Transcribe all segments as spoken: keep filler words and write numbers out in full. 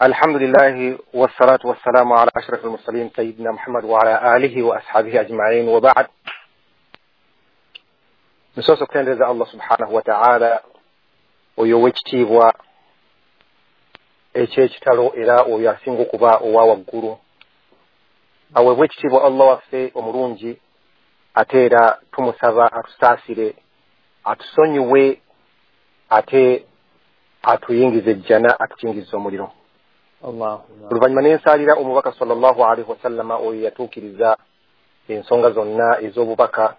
الحمد لله والصلاة والسلام على أشرف المرسلين سيدنا محمد وعلى آله وأصحابه أجمعين وبعد. Nsoose okutendereza Allah subhanahu wataala, oyo ow'ekitiibwa ekyekitalo era oyo asinga okuba owa waggulu. Aweebwa ekitiibwa Allah waffe omulungi, ate era tumusaba atusaasire, atusonyiwe, ate atuyingize ejjana, atukingize omuliro. Oluvannyuma n'ensaalira omubaka sallallahu alaihi wasallama, oyo yatuukiriza ensonga zonna ez'obubaka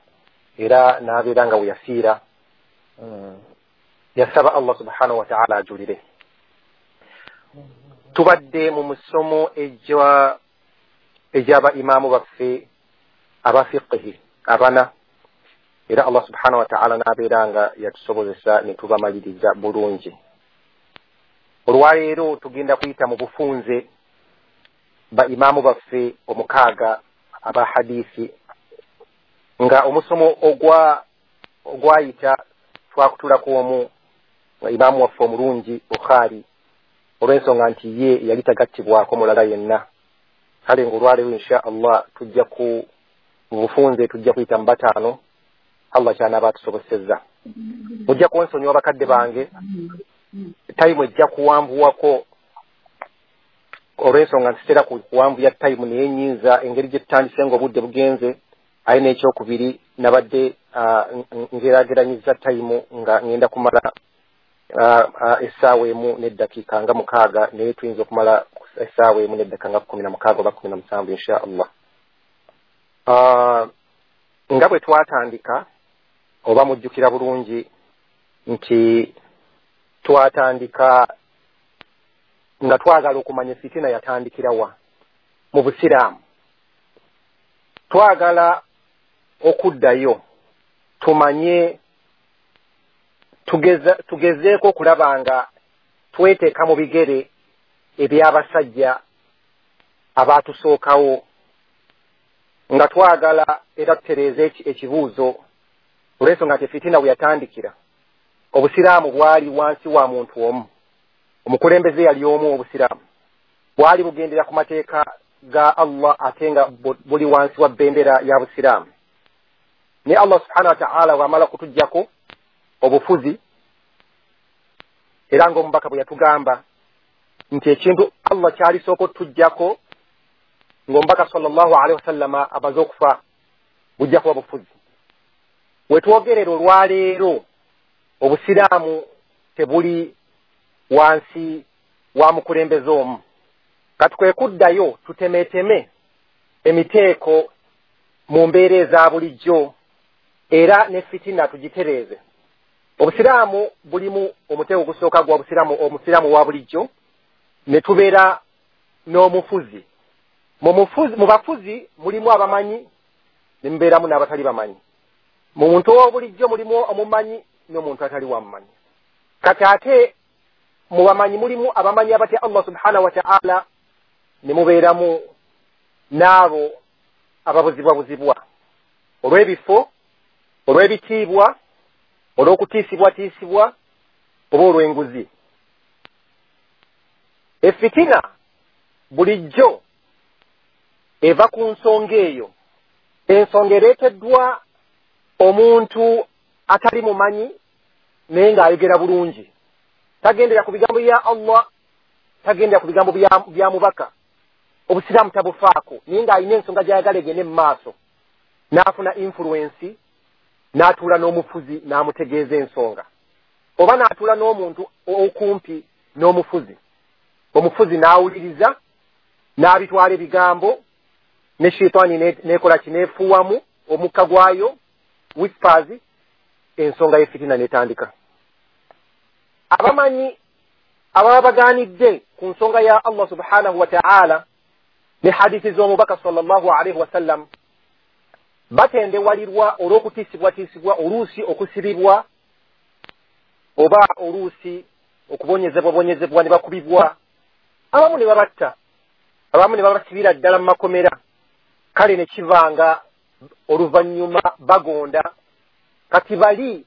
era n'abeera nga we yafiira yasaba Allah subhanahu wataala ajulire. Tubadde mu musomo egy'aba imaamu baffe aba fiqihi abana, era Allah subhanahu wataala n'abeera nga yatusobozesa ne tubamaliriza bulungi. Olwaleero tugenda kuyita mu bufunze ba imaamu baffe omukaaga aba hadisi, nga omusomo ogwa ogwayita twakutulako omu imaamu waffe omulungi Bukhari, olw'ensonga nti ye yali tagattibwako mulala yenna. Kale ng'olwaleero insha Allah tujja ku mu bufunze tujja kuyita mu bataano Allah kyanaaba atusobosezza. Mujja kunsonyiwa bakadde bange, tayimu ejja kuwanvuwako olw'ensonga nti sitera kuwanvuya tayimu, naye nnyinza engeri gye tutandise ng'obudde bugenze. Aye n'ekyokubiri nabadde ngeraageranyiza tayimu nga ngenda kumala essaawa emu n'eddakiika nga mukaaga, naye tuyinza okumala essaawa emu n'eddakiika nga kkumi na mukaaga oba kkumi na musanvu insha Allah. Nga bwe twatandika, oba mujjukira bulungi nti twatandika nga twagala okumanya fitina yatandikira wa mu Busiraamu. Twagala okuddayo tumanye, tugeza tugezeeko okulaba nga tweteeka mu bigere eby'abasajja abaatusookawo, nga twagala era tutereeze ekibuuzo olw'ensonga nti fitina we yatandikira Obusiraamu bwali wansi wa muntu omu, omukulembeze yali omu. Obusiraamu bwali bugendera ku mateeka ga Allah ate nga buli wansi wa bendera ya Busiraamu. Ne Allah subhanahu wa ta'ala bw'amala kutuggyako obufuzi, era ng'omubaka bwe yatugamba nti ekintu Allah kyalisooka otuggyako ng'omubaka sallallahu alaihi wasallama amaze okufa bujja kuba bufuzi. We twogerera olwaleero Obusiraamu tebuli wansi wa mukulembeze omu. Kati kwe kuddayo tutemeeteme emiteeko mu mbeera eza bulijjo era ne fitina tugitereeze. Obusiraamu bulimu omuteeko ogusooka gwa Busiraamu, omusiraamu wa bulijjo, ne tubeera n'omufuzi. Mu mufuzi, mu bafuzi mulimu abamanyi ne mubeeramu n'abatali bamanyi. Mu muntu owa bulijjo mulimu omumanyi n'omuntu atali wamumanyi. Kati ate mu bamanyi mulimu abamanyi abatya Allah subhanahu wa ta'ala, ne mubeeramu n'abo ababuzibwabuzibwa olw'ebifo, olw'ebitiibwa, olw'okutiisibwatiisibwa oba olw'enguzi. Efitina bulijjo eva ku nsonga eyo, ensonga ereeteddwa omuntu atali mumanyi naye ng'ayogera bulungi, tagendera ku bigambo bya Allah, tagendera ku bigambo bya mubaka, Obusiraamu tabufaako, naye ng'alina ensonga gy'ayagala egende mu maaso, n'afuna influensi, n'atuula n'omufuzi n'amutegeeza ensonga, oba n'atuula n'omuntu okumpi n'omufuzi, omufuzi n'awuliriza n'abitwala ebigambo, ne shitaani n'ekola ki, n'efuuwamu omukka gwayo whispers, ensonga y'efitina n'etandika. Abamanyi ababa bagaanidde ku nsonga ya Allah subhanahu wa ta'ala ne hadithi z'omubaka sallallahu alaihi wasallam batendewalirwa olw'okutiisibwatiisibwa, oluusi okusibibwa oba oluusi okubonyezebwabonyezebwa ne bakubibwa, abamu ne babatta, abamu ne babasibira ddala mu makomera. Kale ne kivanga oluvannyuma bagonda. Kati bali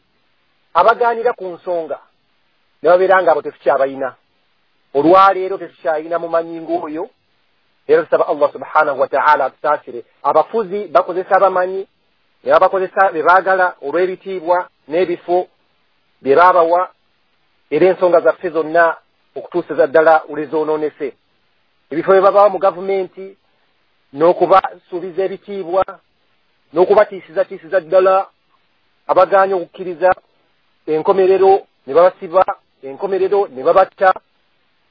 abagaanira ku nsonga ne babeera nga abo tetukyabayina Olwaleero tetukyalina mumanyi ng'oyo. Era tusaba Allah subhanahu wa ta'ala atusaasire. Abafuzi bakozesa abamanyi ne babakozesa be baagala olw'ebitiibwa n'ebifo bye babawa, era ensonga zaffe zonna okutuusiza ddala olwezoonoonese. Ebifo bye babawa mu gavumenti n'okubasuubiza ebitiibwa n'okubatiisizatiisiza ddala abagaanye okukkiriza enkomerero ne babasiba, enkomerero ne babatta,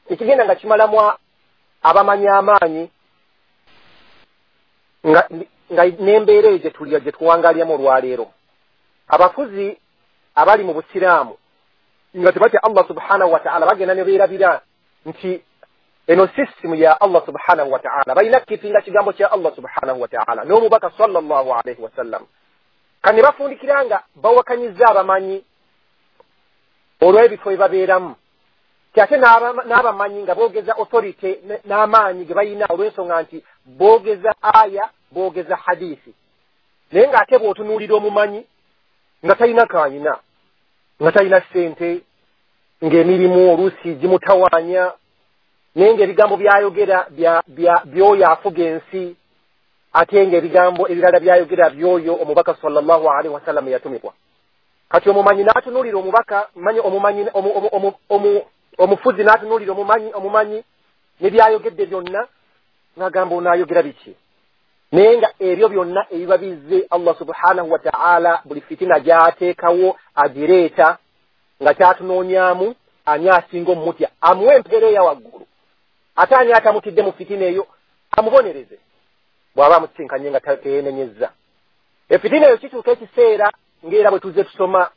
ekigenda nga kimalamu abamanyi amaanyi nga nga n'embeera eyo gye tuli gye tuwangaaliramu olwaleero. Abafuzi abali mu busiraamu nga tebatya Allah subhanahu wa ta'ala bagenda ne beerabira nti eno sisitimu ya Allah subhanahu wa ta'ala, balina kukipinga kigambo kya Allah subhanahu wa ta'ala n'omubaka sallallahu alaihi wasallam. Kane bafundikira nga bawakanyiza abamanyi olw'ebifo bye babeeramu, ate n'abamanyi nga boogeza authority n'amaanyi ge balina olw'ensonga nti boogeza aya, boogeza hadisi. Naye ng'ate bw'otunuulira omumanyi nga talina kayina, nga talina ssente, ng'emirimu oluusi gimutawaanya, naye ng'ebigambo by'ayogera by'oyo afuga ensi, ate ng'ebigambo ebirala by'ayogera by'oyo omubaka sallallahu alaihi wasallam yatumibwa. Kati omumanyi n'atunuulira omubaka, manyi omumanyi omufuzi n'atunuulira omumanyi omumanyi ne by'ayogedde byonna n'agamba onaayogera biki? Naye nga ebyo byonna ebiba bizze Allah subhanahu wa ta'ala buli fitina gy'ateekawo agireeta nga kyatunoonyaamu ani asinga omumutya amuwe empeera eya waggulu, ate ani atamutidde mu fitina eyo amubonereze bw'aba amusisinkanye nga teyeenenyezza. Efitina eyo kituuka ekiseera ng'era bwe tuzze tusoma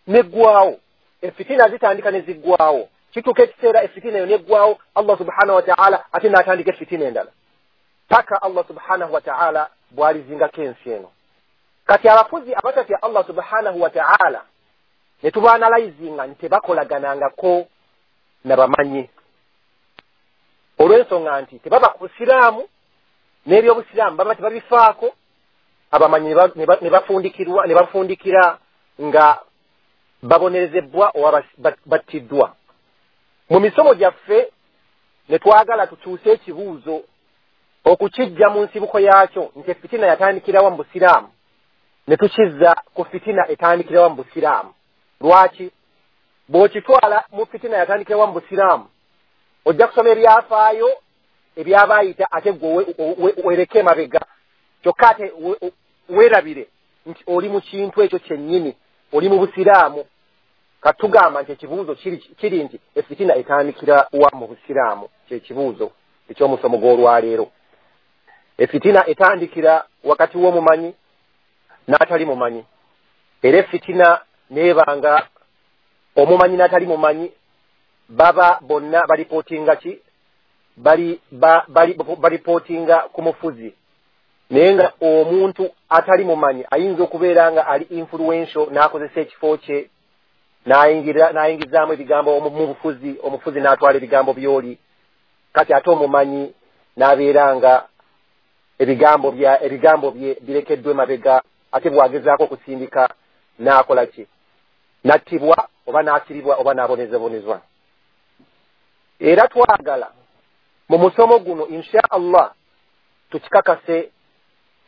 neggwawo. Efitina zitandika ne ziggwawo. Kituuka ekiseera efitina eyo neggwawo, Allah subhanahu wa ta'ala ate n'atandika efitina endala paka Allah subhanahu wa ta'ala bw'alizingako ensi eno. Kati abafuzi abatatya Allah subhanahu wa ta'ala ne tubaanalayizinga nti tebakolaganangako na bamanyi, olw'ensonga nti tebaba ku busiraamu n'ebyobusiraamu baba tebabifaako. Abamanyi ne bafundikirwa ne bafundikira nga babonerezebwa oba battiddwa. Mu misomo gyaffe ne twagala tukyuse ekibuuzo okukijja mu nsibuko yaakyo nti efitina yatandikirawa mu busiraamu, ne tukizza ku fitina etandikirawa mu busiraamu. Lwaki? Bw'okitwala mu fitina yatandikirawa mu busiraamu ojja kusoma ebyafaayo ebyabaayita ate gwe wereke emabega, kyokka ate weerabire nti oli mu kintu ekyo kyennyini, oli mu busiraamu. Katugamba nti ekibuuzo kiri nti efitina etandikira wa mu busiraamu, kyekibuuzo eky'omusomo gw'olwaleero. Efitina etandikira wakati w'omumanyi n'atali mumanyi, era efitina neebanga omumanyi n'atali mumanyi baba bonna balipootinga ki? Bali bali balipootinga ku mufuzi. Naye nga omuntu atali mumanyi ayinza okubeera nga ali influential n'akozesa ekifo kye n'ayingira n'ayingizaamu ebigambo mu bufuzi, omufuzi n'atwala ebigambo by'oli. Kati ate omumanyi n'abeera nga ebigambo bya ebigambo bye birekeddwa emabega, ate bw'agezaako okusindika n'akola ki? N'attibwa oba n'asiribwa oba n'abonezebonezwa. Era twagala mu musomo guno insha Allah tukikakase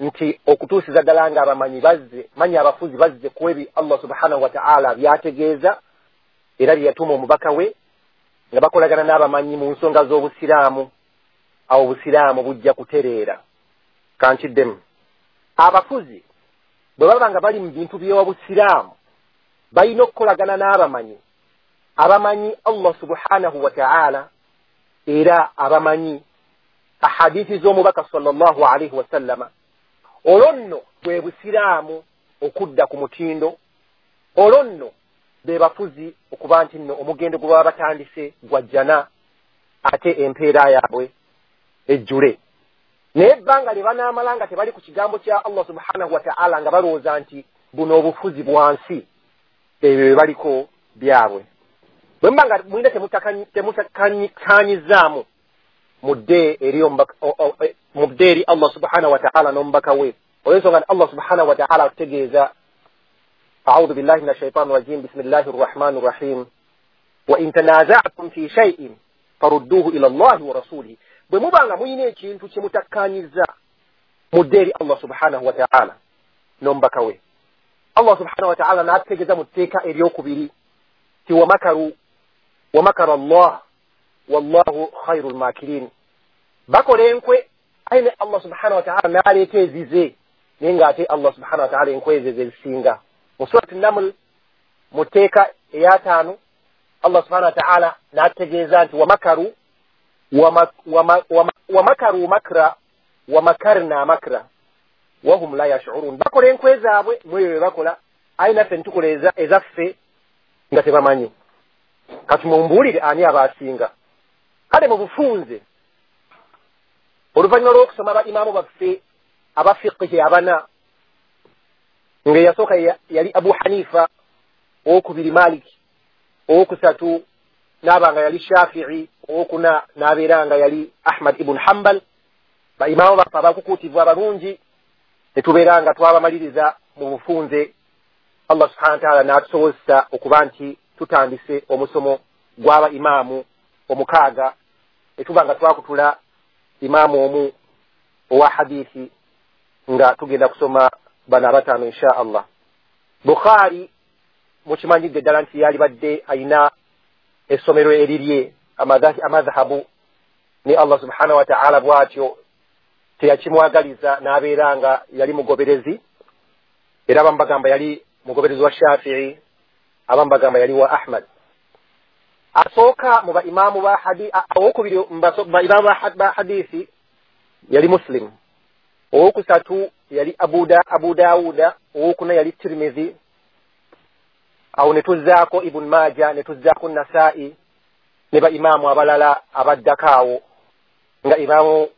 nti okutuusiza ddala nga abamanyi bazze manyi abafuzi bazze ku ebi Allah subhanahu wa ta'ala byategeeza era bye yatuma omubaka we, nga bakolagana n'abamanyi mu nsonga z'obusiraamu, awo obusiraamu bujja kutereera. Kankiddemu, abafuzi bwe baba nga bali mu bintu by'obusiraamu balina okukolagana n'abamanyi abamanyi Allah subhanahu wa ta'ala, era abamanyi ahadithi z'omubaka sallallahu alaihi wasallama. Olwo nno bwe busiraamu okudda ku mutindo, olwo nno be bafuzi okuba nti nno omugendo gwe baba batandise gwa jjana, ate empeera yaabwe ejjule. Naye ebbanga lye banaamala nga tebali ku kigambo kya Allah subhanahu wa ta'ala, nga balowooza nti buno obufuzi bwa nsi, ebyo bye baliko byabwe. Bwe muba nga mulina temutakanyizaamu mudde eri mudde eri Allah subhanahu wa ta'ala n'omubaka we, olw'ensonga nti Allah subhanahu wa ta'ala atutegeeza a'udhu billahi minash shaitani rajim bismillahi rrahmani rrahim wa in tanaza'tum fi shay'in Farudduhu ila Allahi wa rasulihi, bwe muba nga muyina ekintu kye mutakkaanyiza, mudde eri Allah subhanahu wa ta'ala n'omubaka we. Allah subhanahu wa ta'ala n'atutegeeza mu tteeka eryokubiri ti wamakaru wamakara Allah wallahu khairul makirin, bakola enkwe aye ne Allah subhanahu wa ta'ala n'aleeta ezize, naye ng'ate Allah subhanahu wa ta'ala enkwe ezo ezisinga. Mu surati Naml mu tteeka eyataano Allah subhanahu wa ta'ala n'atutegeeza nti wamakaru wamakaru makra wamakarna makra wahum la yash'urun, bakola enkwe zaabwe mweyo bye bakola, aye naffe nitukola ezaffe nga tebamanyi. Kati mumbuulire ani abaasinga. Kale mu bufunze oluvannyuma lw'okusoma ba imaamu baffe abafiqihi abana, ng'eyasooka yali Abu Hanifa, owokubiri Malik, owokusatu n'aba nga yali Shafi'i, owokuna n'abeera nga yali Ahmad ibn Hanbal. Ba imaamu baffe abakukuutivu abalungi ne tubeera nga twabamaliriza mu bufunze, Allah subhanahu wa ta'ala n'atusobozesa okuba nti tutandise omusomo gw'aba imaamu omukaaga, ne tuba nga twakutula imaamu omu owa hadithi nga tugenda kusoma bano abataano insha Allah. Bukhari mukimanyidde ddala nti yali badde ayina essomero erirye amadhahabu, ne Allah subhanahu wa ta'ala bw'atyo teyakimwagaliza n'abeera nga yali mugoberezi, era abamu bagamba yali mugoberezi wa Shafi'i, abamu bagamba yali wa Ahmad. Asooka mu baimaamu ba hadi owokubiri mu baimaamu ba hadithi yali Muslim, owokusatu yali Abu da Abu Dawuda, owokuna yali Tirmidhi, awo ne tuzzaako Ibn Maja, ne tuzzaako Nasa'i ne baimaamu abalala abaddako awo nga Imaamu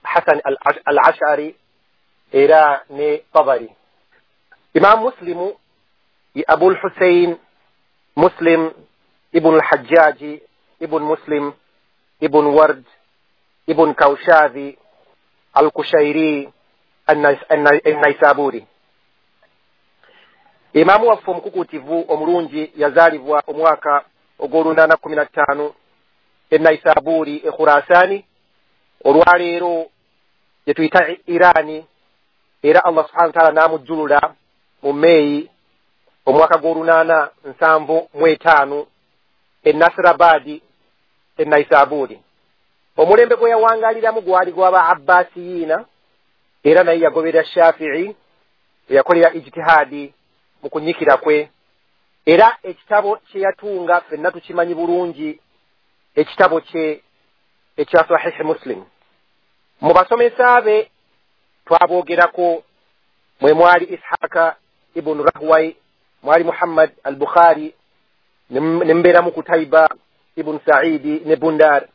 Hasan al-Ash'ari era ne Tabari. Imaamu Muslimu ye Abul Hussein Muslim ibn al-Hajjaji ibn Muslim ibn Ward ibn Kawshadhi al-Kushairi an-Naisaburi. Imaamu waffe omukukuutivu omulungi yazaalibwa omwaka ogw'olunaana kkumi na ttaano e Naisaburi e Khurasani, olwaleero gye tuyita Irani, era Allah subhanahu wa ta'ala n'amujjulula mu Meeyi omwaka gw'olunaana nsanvu mu etaano e Nasrabadi e Naisaburi. Omulembe gwe yawangaaliramu gwali gw'aba Abbasiyiina, era naye yagoberera Shafi'i, eyakolera ijtihaadi mu kunyikira kwe, era ekitabo kye yatunga ffenna tukimanyi bulungi, ekitabo kye ekya Sahihi Muslim. Mu basomesa be twaboogerako mwe mwali Ishaka ibn Rahway, mwali Muhammad al-Bukhari, ne mbeeramu Kutaiba ibn Saidi ne Bundar.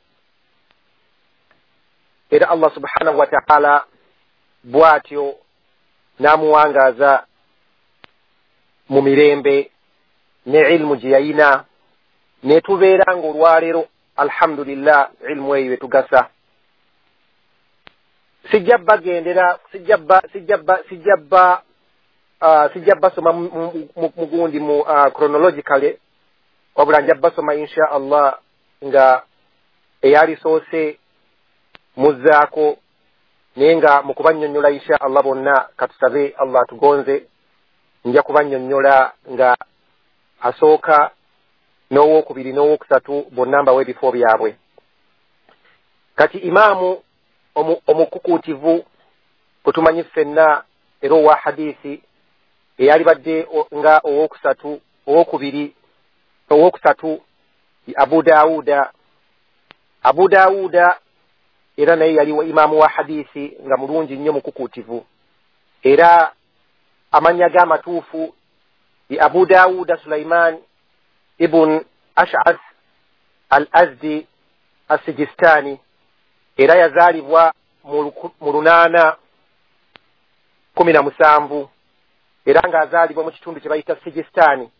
Era Allah subhanahu wa ta'ala bw'atyo n'amuwangaaza mu mirembe ne ilmu gye yayina, ne tubeera ng'olwaleero alhamdulillah ilmu eyo etugasa. Sijja bagendera, sijja ba sijja ba sijja ba sijja basoma mugundi mu chronologically, wabula nja basoma insha Allah nga eyalisoose muzzaako, naye nga mu kubannyonnyola insha Allah bonna katusabe Allah atugonze, nja kubannyonnyola nga asooka n'owokubiri n'owokusatu bonna mbawa ebifo byabwe. Kati imaamu omukukuutivu gwe tumanyi ffenna era owa hadithi eyali badde nga owokusatu owokubiri owokusatu Abu Dawuda. Abu Dawuda era naye yali wa imaamu wa hadithi nga mulungi nnyo mukukuutivu, era amannya ge amatuufu ye Abu Dawuda Sulaiman ibn Ash'ath al-Azdi as-Sijistani, era yazaalibwa mu lunaana kumi na musanvu, era ng'azaalibwa mu kitundu kye bayita Sijistani.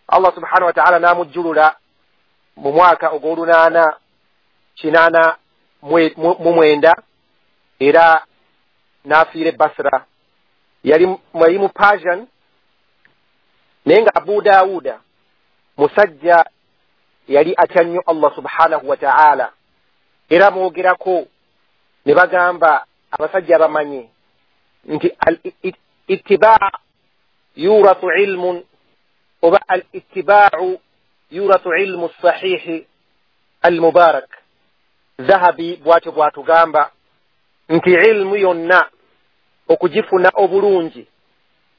Allah subhanahu wa ta'ala n'amujjulula mu mwaka ogw'olunaana kinaana mu mwenda, era n'afiira e Basra. Yali mu Persian, naye nga Abu Dawuda musajja Yali atya nnyo Allah subhanahu wa ta'ala. Era mwogerako ne bagamba abasajja abamanyi nti al ittibaa yurathu ilmun, oba al ittibaau yurathu ilmu sahihi al mubarak. Zahabi bwatyo bwatugamba nti ilmu yonna okugifuna obulungi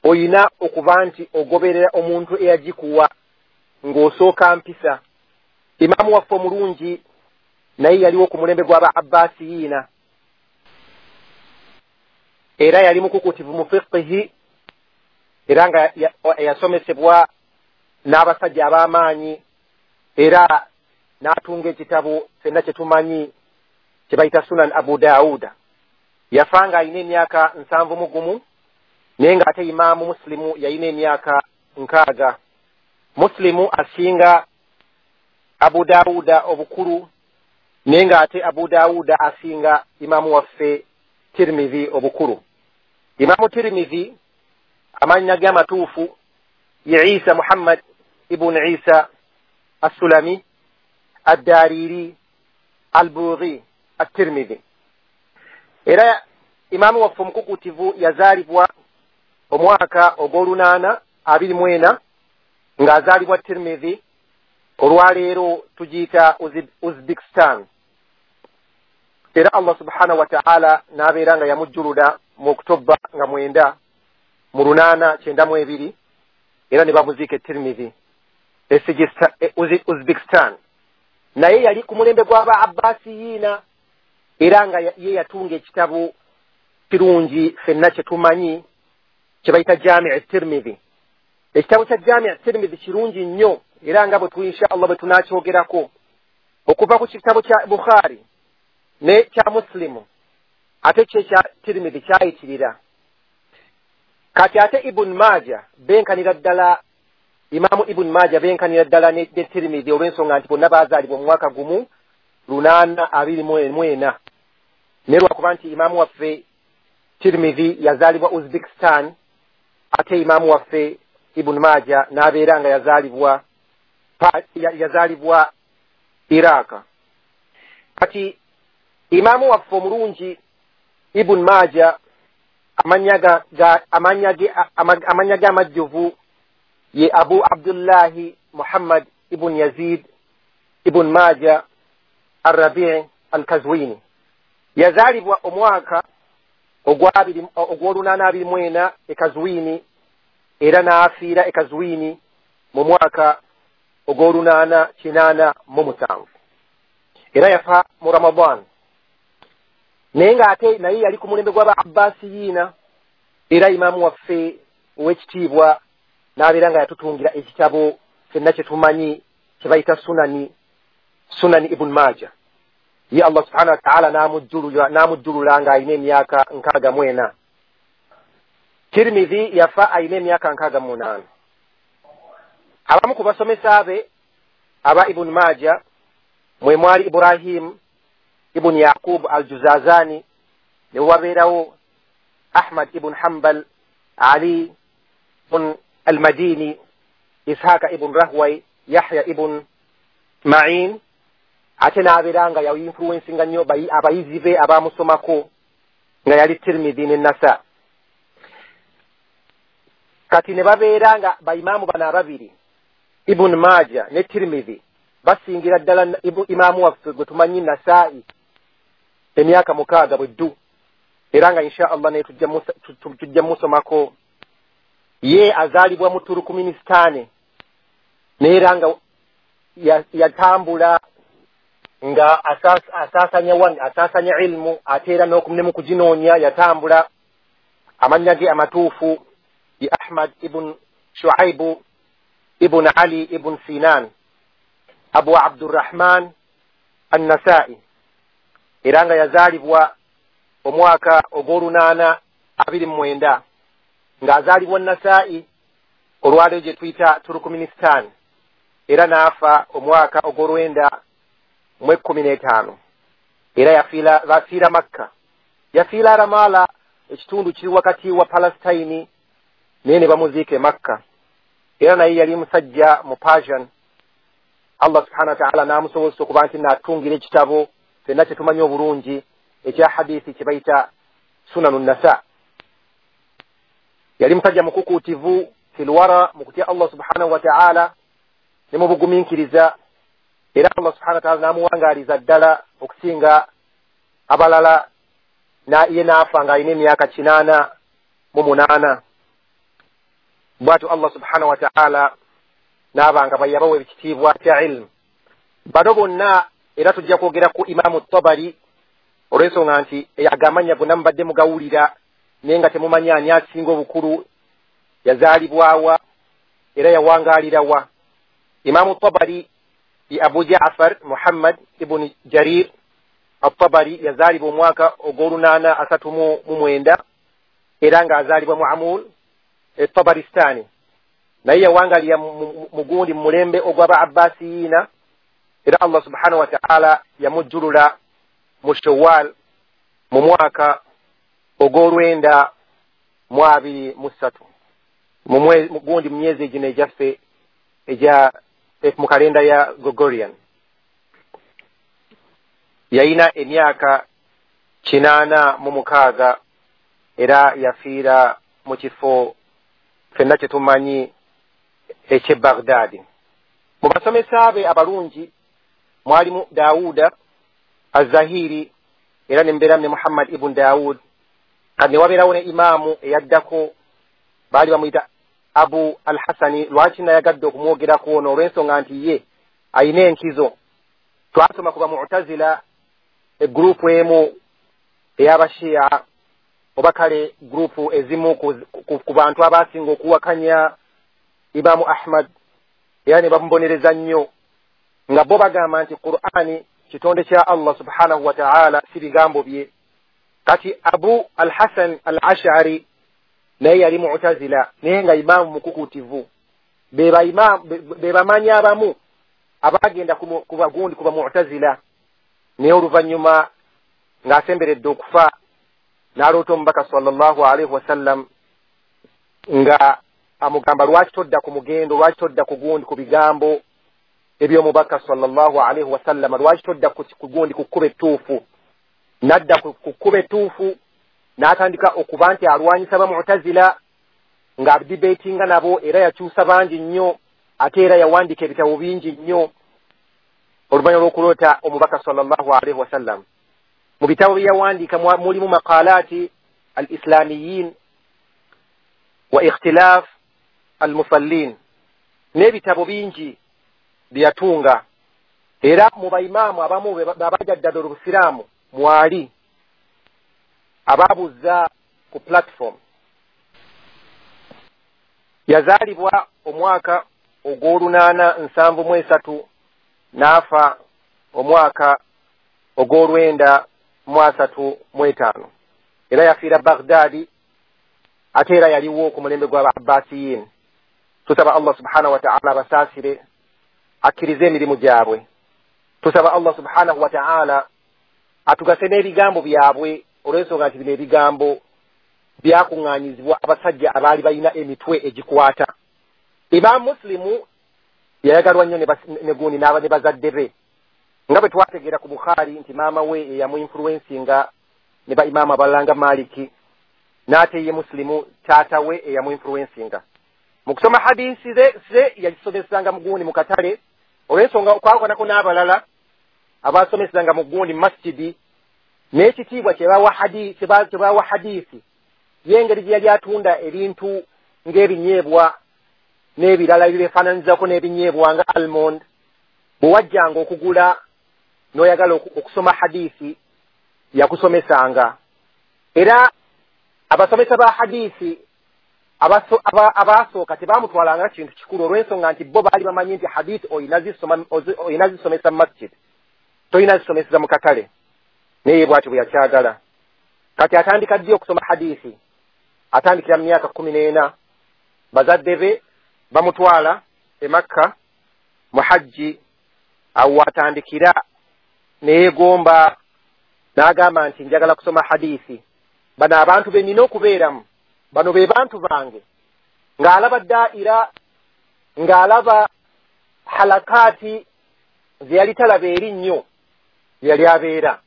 oyina okuba nti ogoberera omuntu eyagikuwa ng'osooka mpisa. Imaamu waffe omulungi naye yaliwo ku mulembe gw'aba Abbasiyiina, era yali mukukutivu mu fiqihi, era nga yasomesebwa n'abasajja ab'amaanyi, era n'atunga ekitabo ffenna kye tumanyi kye bayita Sunan Abu Dauda. Yafa nga alina emyaka nsanvu mu gumu, naye ng'ate Imaamu Muslimu yalina emyaka nkaaga. Muslimu asinga Abu Dauda obukulu, naye ng'ate Abu Dauda asinga Imaamu waffe Tirmidhi obukulu. Imaamu Tirmidhi amannya ge amatuufu ye Isa Muhammad ibn Isa Assulami Addariri Albughi At-Tirmidhi. Era imaamu waffe omukukutivu yazaalibwa omwaka ogw'olunaana abiri mu ena, ng'azaalibwa Tirmidhi. Olwaleero tugiyita Uzbekistan. Era Allah subhanahu wa ta'ala n'abeera nga yamujjulula mu Oktoba nga mwenda mu lunaana kyenda mu ebiri, era ne bamuziika e Tirmidhi Uzbekistan. Naye yali ku mulembe gw'aba Abbasiyiina, era nga ye yatunga ekitabo kirungi ffenna kye tumanyi kye bayita Jami' Tirmidhi. Ekitabo kya Jami' Tirmidhi kirungi nnyo, era nga bwe tu insha Allah bwe tunakyogerako okuva ku kitabo kya Bukhari ne kya Muslimu, ate kye kya Tirmidhi kyayitirira. Kati ate Ibn Majah benkanira ddala, Imaamu Ibn Majah benkanira ddala ne Tirmidhi olw'ensonga nti bonna baazaalibwa mu mwaka gumu lunaana abiri mu ena. Naye lwakuba nti imaamu waffe Tirmidhi yazaalibwa Uzbekistan, ate imaamu waffe Ibn Majah n'abeera nga yazaalibwa yazaalibwa Iraq. Kati imaamu waffe omulungi Ibn Majah amannya ga amannya ge amajjuvu ye Abu Abdullahi Muhammad ibn Yazid ibn Majah Ar-Rabi' Al-Kazwini. Yazaalibwa omwaka ogw'olunaana abiri mu ena e Kazwini, era n'afiira e Kazwini mu mwaka ogw'olunaana kinaana mu musanvu. Era yafa mu Ramadan. Naye ng'ate naye yali ku mulembe gw'aba Abbasiyiina, era imaamu waffe ow'ekitiibwa n'abeera nga yatutungira ekitabo ffenna kye tumanyi kye bayita Sunani Sunani Ibn Majah. Ye Allah subhanahu wa ta'ala n'amujjulula n'amujjulula ng'alina emyaka nkaaga mu ena. Tirmidhi yafa alina emyaka nkaaga mu munaana. Abamu ku basomesa be aba Ibn Majah mwe mwali Ibrahim ibn Yaqub al-Juzazani, ne wabeerawo Ahmad ibn Hanbal, Ali ibn al-Madini, Ishaka ibn Rahway, Yahya ibn Ma'in. Ate n'abeera nga yainfluensinga nnyo abayizi be abamusomako nga yali Tirmidhi ne Nasa. Kati ne babeera nga baimaamu bano ababiri Ibn Majah ne Tirmidhi basingira ddala imaamu waffe gwe tumanyi Nasaa'i emyaka mukaaga bwe ddu, era nga insha Allah naye tujja musomako. Ye azaalibwa mu Turkmenistan, naye era nga yatambula nga asaasanya wani asaasanya ilmu, ate era ne mu kuginoonya yatambula. Amannya ge amatuufu ye Ahmad ibn Shuaibu ibn Ali ibn Sinan Abu Abdurrahman An-Nasa'i, era nga yazaalibwa omwaka ogw'olunaana abiri mu mwenda, ng'azaalibwa Nasa'i olwaleero gye tuyita Turkmenistan, era n'afa omwaka ogw'olwenda mu ekkumi n'etaano. Era yafiira bafiira Makka, yafiira Ramala, ekitundu kiri wakati wa Palestine, naye ne bamuziika e Makka. Era naye yali musajja mu Persian, Allah subhanahu wa ta'ala n'amusobozesa okuba nti n'atungira ekitabo ffenna kye tumanyi obulungi ekya hadithi kye bayita Sunanu Nasa. Yali musajja mukukuutivu filwara mu kutya Allah subhanahu wa ta'ala ne mu bugumiikiriza, era Allah subhanahu wa ta'ala n'amuwangaaliza ddala okusinga abalala, ye n'afa ng'alina emyaka kinaana mu munaana. Bw'atyo Allah subhanahu wa ta'ala n'aba nga yabawa ekitiibwa kya ilmu. Bano bonna era tujja kwogera ku Imaamu Tabari olw'ensonga nti agamanya gonna mubadde mugawulira naye nga temumanyi ani asinga obukulu, yazaalibwawa era yawangaalirawa. Imaamu Tabari ye Abu Ja'far Muhammad ibn Jarir At-Tabari, yazaalibwa omwaka ogw'olunaana asatu mu mwenda era ng'azaalibwa mu Amul e Tabaristani, naye yawangalira mu gundi mu mulembe ogw'aba Abbasiyiina, era Allah subhanahu wa ta'ala yamujjulula mu Shawwal mu mwaka ogw'olwenda mu abiri mu ssatu mu gundi mu myezi egino egyaffe egya mu kalenda ya Gregorian. Yayina emyaka kinaana mu mukaaga era yafiira mu kifo ffenna kye tumanyi eky'e Baghdadi. Mu basomesa be abalungi mwalimu Dawuda Az-Zahiri era ne mbeeramu ne Muhammad ibn Dawud. Kati ne wabeerawo ne imaamu eyaddako baali bamuyita Abu Al-Hasani. Lwaki nayagadde okumwogerako ono? Olw'ensonga nti ye ayina enkizo. Twasoma ku Bamu'tazila, egurupu emu ey'Abashia oba kale gurupu ezimu ku bantu abasinga okuwakanya Imaamu Ahmad, era ne bamubonereza nnyo nga bo bagamba nti Qur'ani kitonde kya Allah subhanahu wa ta'ala, si bigambo bye. Kati Abu Al-Hasan Al-Ash'ari naye yali Mu'tazila, naye nga imaamu mukukuutivu. Be bamanyi abamu abagenda ku bagundi ku Bamu'tazila, naye oluvannyuma ng'asemberedde okufa n'aloota omubaka sallallahu alaihi wasallam nga amugamba lwaki todda ku mugendo, lwaki todda ku gundi ku bigambo eby'omubaka sallallahu alaihi wasallam, lwaki todda ku gundi ku kkubo ettuufu. N'adda ku kkubo ettuufu n'atandika okuba nti alwanyisa Bamu'tazila ng'adibeetinga nabo, era yakyusa bangi nnyo, ate era yawandiika ebitabo bingi nnyo oluvannyuma lw'okuloota omubaka sallallahu alaihi wasallam. Mu bitabo bye yawandiika mulimu maqalaati al-islamiyin wa ikhtilaf al-musallin, n'ebitabo bingi bye yatunga. Era mu baimaamu abamu abajaddala obusiraamu mwali ababuza ku platform. Yazaalibwa omwaka ogw'olunaana nsanvu mu esatu n'afa omwaka ogw'olwenda mu asatu mu etaano, era yafiira Baghdadi, ate era yaliwo ku mulembe gw'aba Abbasiyin. Tusaba Allah subhanahu wa ta'ala abasaasire, akkirize emirimu gyabwe. Tusaba Allah subhanahu wa ta'ala atugase n'ebigambo byabwe, olw'ensonga nti bino ebigambo byakuŋŋaanyizibwa abasajja abaali balina emitwe egikwata. Imaamu Muslimu yayagalwa nnyo ne gundi n'aba ne bazadde be, nga bwe twategeera ku Bukhari nti maama we eyamuinfluensinga ne ba imaamu abalala nga Maliki, n'ate ye Muslimu taata we eyamuinfluensinga. Mu kusoma hadisi ze ze yagisomesanga mu gundi mu katale, olw'ensonga okwawukanako n'abalala abasomesanga mu gundi mu masjidi, n'ekitiibwa kye bawa hadisi, kye bawa hadisi y'engeri gye yali atunda ebintu ng'ebinyeebwa n'ebirala ebibeefaananyizako n'ebinyeebwa nga almond. Bwe wajjanga okugula n'oyagala okusoma hadisi yakusomesanga. Era abasomesa ba hadisi abasooka tebamutwalanga kintu kikulu, olw'ensonga nti bo baali bamanyi nti hadisi olina zisomesa mu masjid, tolina zisomeseza mu katale. Naye bw'atyo bwe yakyagala. Kati atandika ddi okusoma hadisi? Atandikira mu myaka kkumi n'ena. Bazadde be bamutwala e Makka mu hajji, awo atandikira neyeegomba n'agamba nti njagala kusoma hadisi, bano abantu be nnina okubeeramu, bano be bantu bange. Ng'alaba daira, ng'alaba halakaati ze yali talaba eri nnyo yali abeera.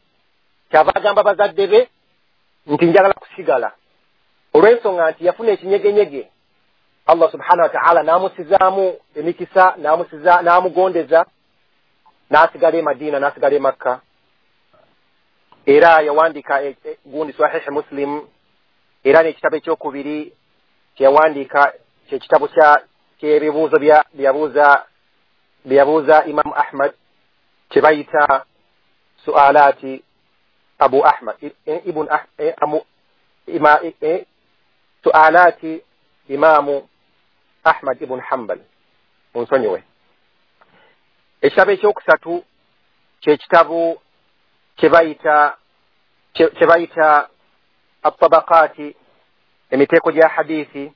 Kyava agamba bazadde be nti njagala kusigala, olw'ensonga nti yafuna ekinyegenyege, Allah subhanahu wa ta'ala n'amusizaamu emikisa, n'amusiza n'amugondeza, n'asigala e Madiina, n'asigala e Makka. Era yawandiika gundi Sahihi Muslim, era n'ekitabo ekyokubiri kyeyawandiika kyekitabo ky'ebibuuzo byeyabuuza byeyabuuza Imamu Ahmad kye bayita su'alaati Abu Ahmad ibn su'alaati Imamu Ahmad ibn Hanbal, munsonyiwe. Ekitabo ekyokusatu kyekitabo kye bayita kye bayita at-tabaqaati, emiteeko gya hadithi.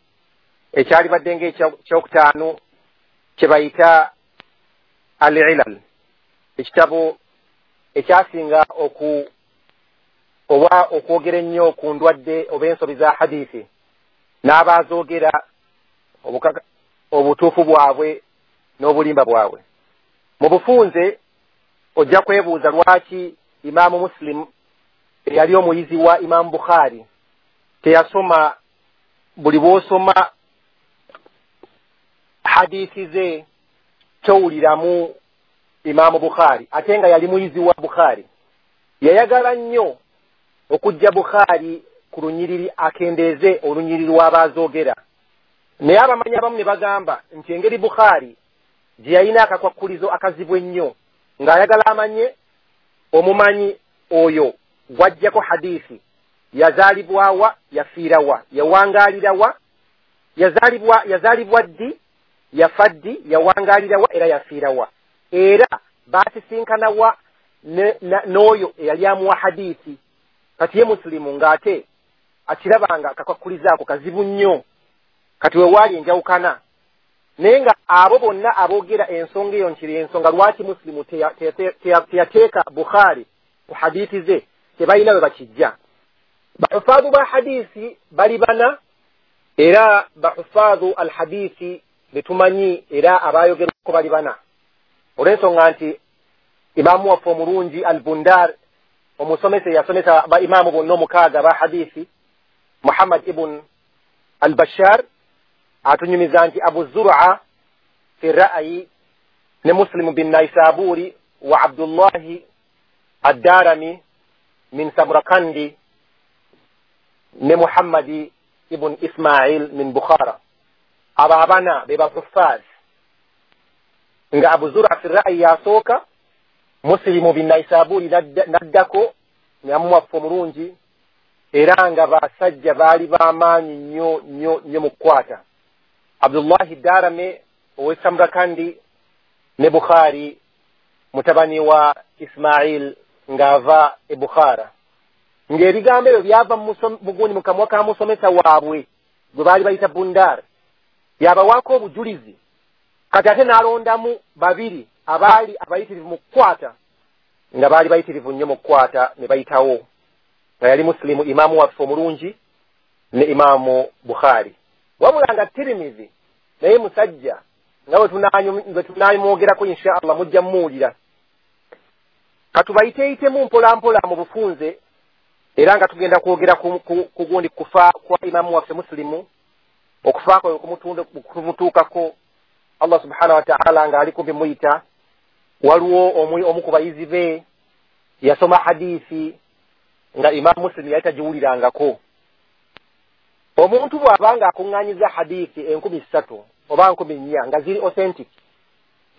Ekyalibadde ng'ekyokutaano kye bayita al-ilal, ekitabo ekyasinga oku oba okwogera ennyo ku ndwadde oba ensobi za hadithi, n'abaazoogera obutuufu bwabwe n'obulimba bwabwe. Mu bufunze ojja kwebuuza lwaki Imaamu Muslim eyali omuyizi wa Imaamu Bukhari teyasoma. Buli bw'osoma hadithi ze towuliramu Imaamu Bukhari, ate nga yali muyizi wa Bukhari. Yayagala nnyo okujja Bukhari ku lunyiriri, akendeeze olunyiriri lw'abaazoogera. Naye abamanyi abamu ne bagamba nti engeri Bukhari gye yalina akakwakkulizo akazibu ennyo, ng'ayagala amanye omumanyi oyo gw'ajjako hadithi yazaalibwawa, yafiirawa, yawangaalirawa, yazaalibwa yazaalibwa ddi, yafa ddi, yawangaalirawa era yafiirawa, era baasisinkanawa n'oyo eyali amuwa hadithi. Kati ye Muslimu ng'ate akirabanga akakwakkulizo ako kazibu nnyo. Kati we waali enjawukana, naye nga abo bonna aboogera ensonga eyo nkiri ensonga lwaki Muslimu teyateeka Bukhari ku hadithi ze, tebalina we bakijja. Bahufaadhu ba hadithi bali bana, era bahufaadhu alhadithi betumanyi era abayogerwako bali bana, olw'ensonga nti imaamu waffe omulungi Al-Bundar, omusomesa eyasomesa ba imaamu bonna omukaaga ba hadithi, Muhammad ibn al-Bashar, atunyumiza nti Abu Zur'a fi ra'yi ne Muslim bin Naisaburi wa Abdullahi ad-Darami min Samarkandi ne Muhammadi ibn Ismail min Bukhara. Abo abana be bahuffaz, nga Abu Zur'a fi ra'yi yasooka, Muslimu bin Naisaburi naddako nyamuwaffe omulungi, era nga basajja baali b'amaanyi nnyo nnyo nnyo mu kukwata. Abdullahi Darame ow'e Samarkandi ne Bukhari mutabani wa Ismail ng'ava e Bukhara. Ng'ebigambo ebyo byava mugundi mu kamwa ka musomesa waabwe gwe baali bayita Bundar, yabawaako obujulizi. Kati ate n'alondamu babiri abaali abayitirivu mu kukwata, nga baali bayitirivu nnyo mu kukwata ne bayitawo, nga yali Muslimu imaamu waffe omulungi ne Imaamu Bukhari. Wabula nga Tirimizi naye musajja nga bwe tunaamwogerako insha Allah mujja mmuwulira. Katubayiteeyitemu mpola mpola mu bufunze, era nga tugenda kwogera ku gundi kufa kwa imaamu waffe Muslimu, okufa kwe kumutuukako Allah subhanahu wa ta'ala nga ali kumpi muyita. Waliwo omu ku bayizi be yasoma hadithi nga Imaamu Muslim yali tagiwulirangako. Omuntu bw'abanga akuŋŋaanyiza hadithi enkumi ssatu oba nkumi nnya nga ziri authentic,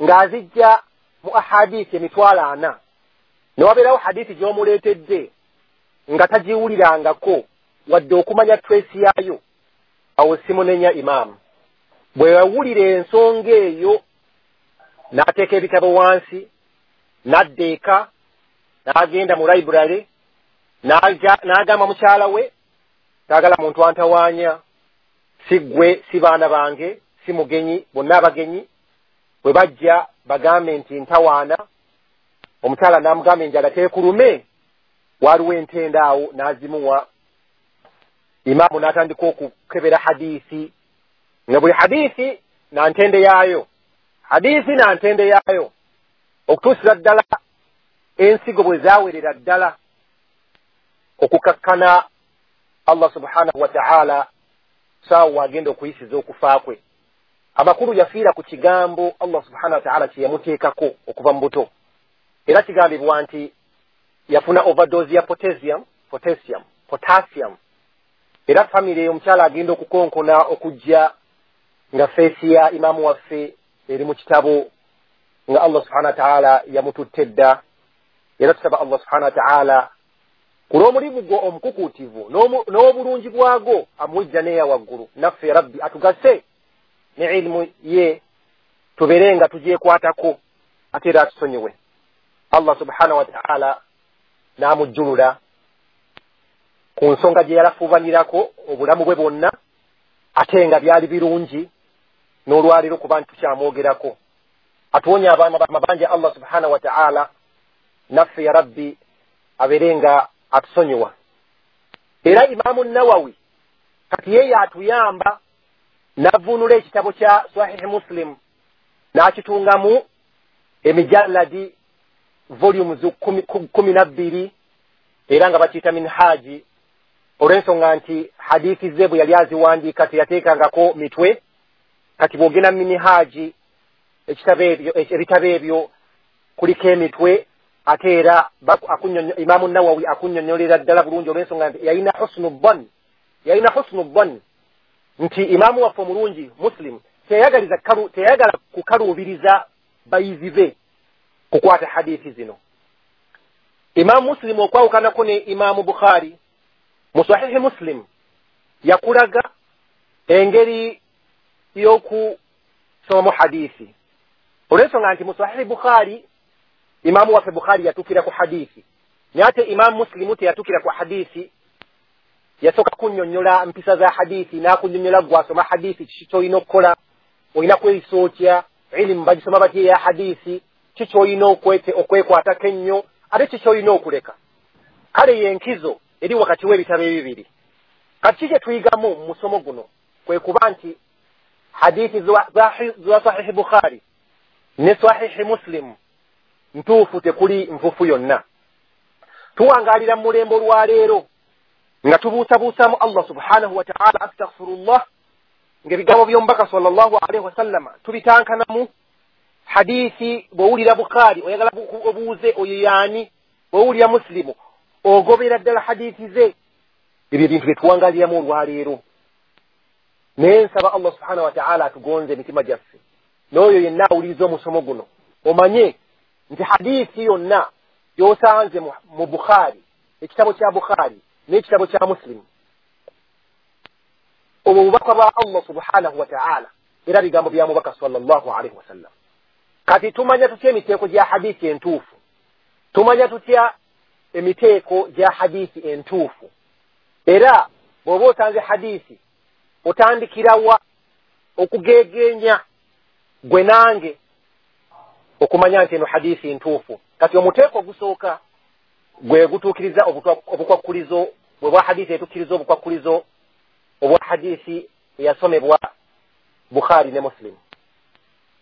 ng'azijja mu ahadithi emitwalo ana, ne wabeerawo hadithi gy'omuleetedde nga tagiwulirangako wadde okumanya trace yaayo, awo simunenya imaamu. Bwe yawulira ensonga eyo n'ateeka ebitabo wansi, n'adda eka, n'agenda mu library, n'agamba mukyala we, taagala muntu antawaanya, si ggwe, si baana bange, si mugenyi, bonna abagenyi bwe bajja bagambe nti ntawaana. Omukyala n'amugamba enjala teekulume, waliwo entenda awo n'azimuwa. Imaamu n'atandika okukebera hadiisi, nga buli hadiisi na ntende yaayo, hadiisi na ntende yaayo. Okutuusira ddala ensigo bwe zaawerera ddala okukakkana Allah subhanahu wa ta'ala saawa agenda okuyisiza okufa kwe. Amakulu yafiira ku kigambo Allah subhanahu wa ta'ala kye yamuteekako okuva mu buto. Era kigambibwa nti yafuna overdose ya potassium, potassium, potassium. Era famire omukyala agenda okukonkona okujja nga feesi ya imaamu waffe eri mu kitabo nga Allah subhanahu wa ta'ala yamututte dda. Era tusaba Allah subhanahu wa ta'ala ku lw'omulimu gwo omukukuutivu n'obulungi bwagwo amuwijja n'eya waggulu, naffe Rabbi atugase ne ilimu ye tubeere nga tugyekwatako ate era atusonyiwe. Allah subhanahu wa ta'ala n'amujjulula ku nsonga gye yalafuubanirako obulamu bwe bwonna, ate nga byali birungi n'olwaleero kuba nti tukyamwogerako. Atuwonya amabanja Allah subhanahu wa ta'ala, naffe ya Rabbi abeere nga atusonyiwa. Era Imaamu Nawawi kati ye yatuyamba n'avvuunula ekitabo kya Sahihi Muslim n'akitungamu emijalladi volumes kumi na bbiri, era nga bakiyita Minhaji, olw'ensonga nti hadithi ze bwe yali aziwandiika teyateekangako mitwe. Kati bw'ogenda mu Minhaji ebitabo ebyo kuliko emitwe, ate era Imaamu Nawawi akunnyonnyolera ddala bulungi olw'ensonga nti yalina husnu dhann, yalina husnu dhann nti imaamu waffe omulungi Muslim teyayagaliza teyayagala kukaluubiriza bayizi be kukwata hadithi zino. Imaamu Muslim okwawukanako ne Imaamu Bukhari, mu Sahihi Muslim yakulaga engeri y'okusomamu hadithi, olw'ensonga nti mu Sahihi Bukhari Imaamu waffe Bukhari yatuukira ku hadithi, naye ate Imaamu Muslimu teyatukira ku hadithi. Yasooka kunnyonnyola mpisa za hadithi, n'akunnyonnyola gw'asoma hadithi kiki ky'olina okukola, olina kweyisa otya, ilimu bagisoma batya eya hadithi, ki ky'olina okwekwatako ennyo, ate ki ky'olina okuleka. Kale y'enkizo eri wakati w'ebitabo ebibiri. Kati ki kye tuyigamu mu musomo guno kwe kuba nti hadithi za Sahihi Bukhari ne Sahihi Muslim ntuufu, tekuli nfufu yonna. Tuwangaalira mu mulembe olwaleero nga tubuusabuusamu Allah subhanahu wa ta'ala, astaghfirullah, ng'ebigambo by'omubaka sallallahu alaihi wasallama tubitankanamu. Hadithi bw'owulira Bukhari oyagala obuuze oyo yaani, bw'owulira Muslimu ogobera ddala hadithi ze. Ebyo ebintu bye tuwangaaliramu olwaleero. Naye nsaba Allah subhanahu wa ta'ala atugonze emitima gyaffe, n'oyo yenna awuliriza omusomo guno omanye nti hadithi yonna gy'osanze mu Bukhari, ekitabo kya Bukhari n'ekitabo kya Muslim, obwo bubaka bwa Allah subhanahu wa ta'ala, era bigambo bya mubaka sallallahu alaihi wasallam. Kati tumanya tutya emiteeko gya hadithi entuufu? Tumanya tutya emiteeko gya hadithi entuufu? Era bw'oba osanze hadithi otandikirawa okugeegenya gwe nange okumanya nti eno hadithi ntuufu? Kati omuteeko ogusooka gwe gutuukiriza obukwakkulizo bwe bwa hadithi etuukiriza obukwakkulizo obwa hadithi eyasomebwa Bukhari ne Muslim,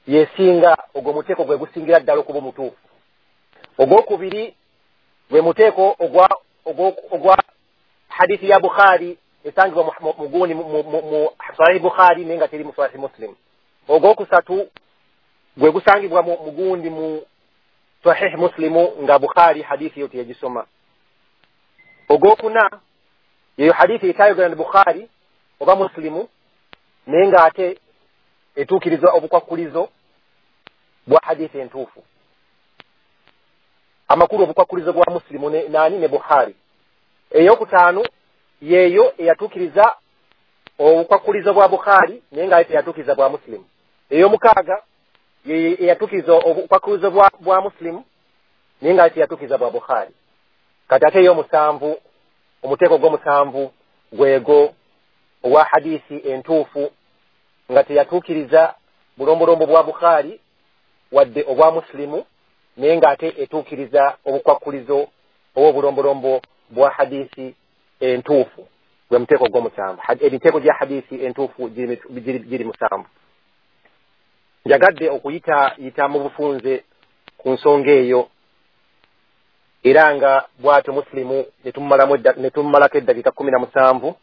yesinga ogwo muteeko gwe gusingira ddala okuba omutuufu. Ogwokubiri gwe muteeko ogwa ogwa hadithi ya Bukhari esangibwa muguni mu Sahih Bukhari naye nga teri mu Sahih Muslim. Ogwokusatu gwe gusangibwa mugundi mu Sahih Muslim nga Bukhari hadithi yo teyagisoma. Ogwokuna yeyo hadithi etayogera ne Bukhari oba Muslimu naye nga ate etuukiriza obukwakkulizo bwa hadithi entuufu. Amakulu obukwakkulizo bwa Muslimu ne nani ne Bukhari. Eyokutaano yeyo eyatuukiriza obukwakkulizo bwa Bukhari naye nga ate teyatuukiriza bwa Muslimu. Ey'omukaaga eyatuukiriza obukwakkulizo bwa, bwa Muslimu naye nga ate teyatuukiriza bwa Bukhari. Kati ate ey'omusanvu, omuteeko gw'omusanvu gwego owa hadithi entuufu nga teyatuukiriza bulombolombo bwa Bukhari wadde obwa Muslimu naye nga ate etuukiriza obukwakkulizo obw'obulombolombo bwa hadithi entuufu. Gwe muteeko gw'omusanvu. Emiteeko gya hadithi entuufu giri musanvu. Njagadde okuyita yita mu bufunze ku nsonga eyo. Era nga bw'atyo Muslimu ne tummalako eddakiika kkumi na musanvu,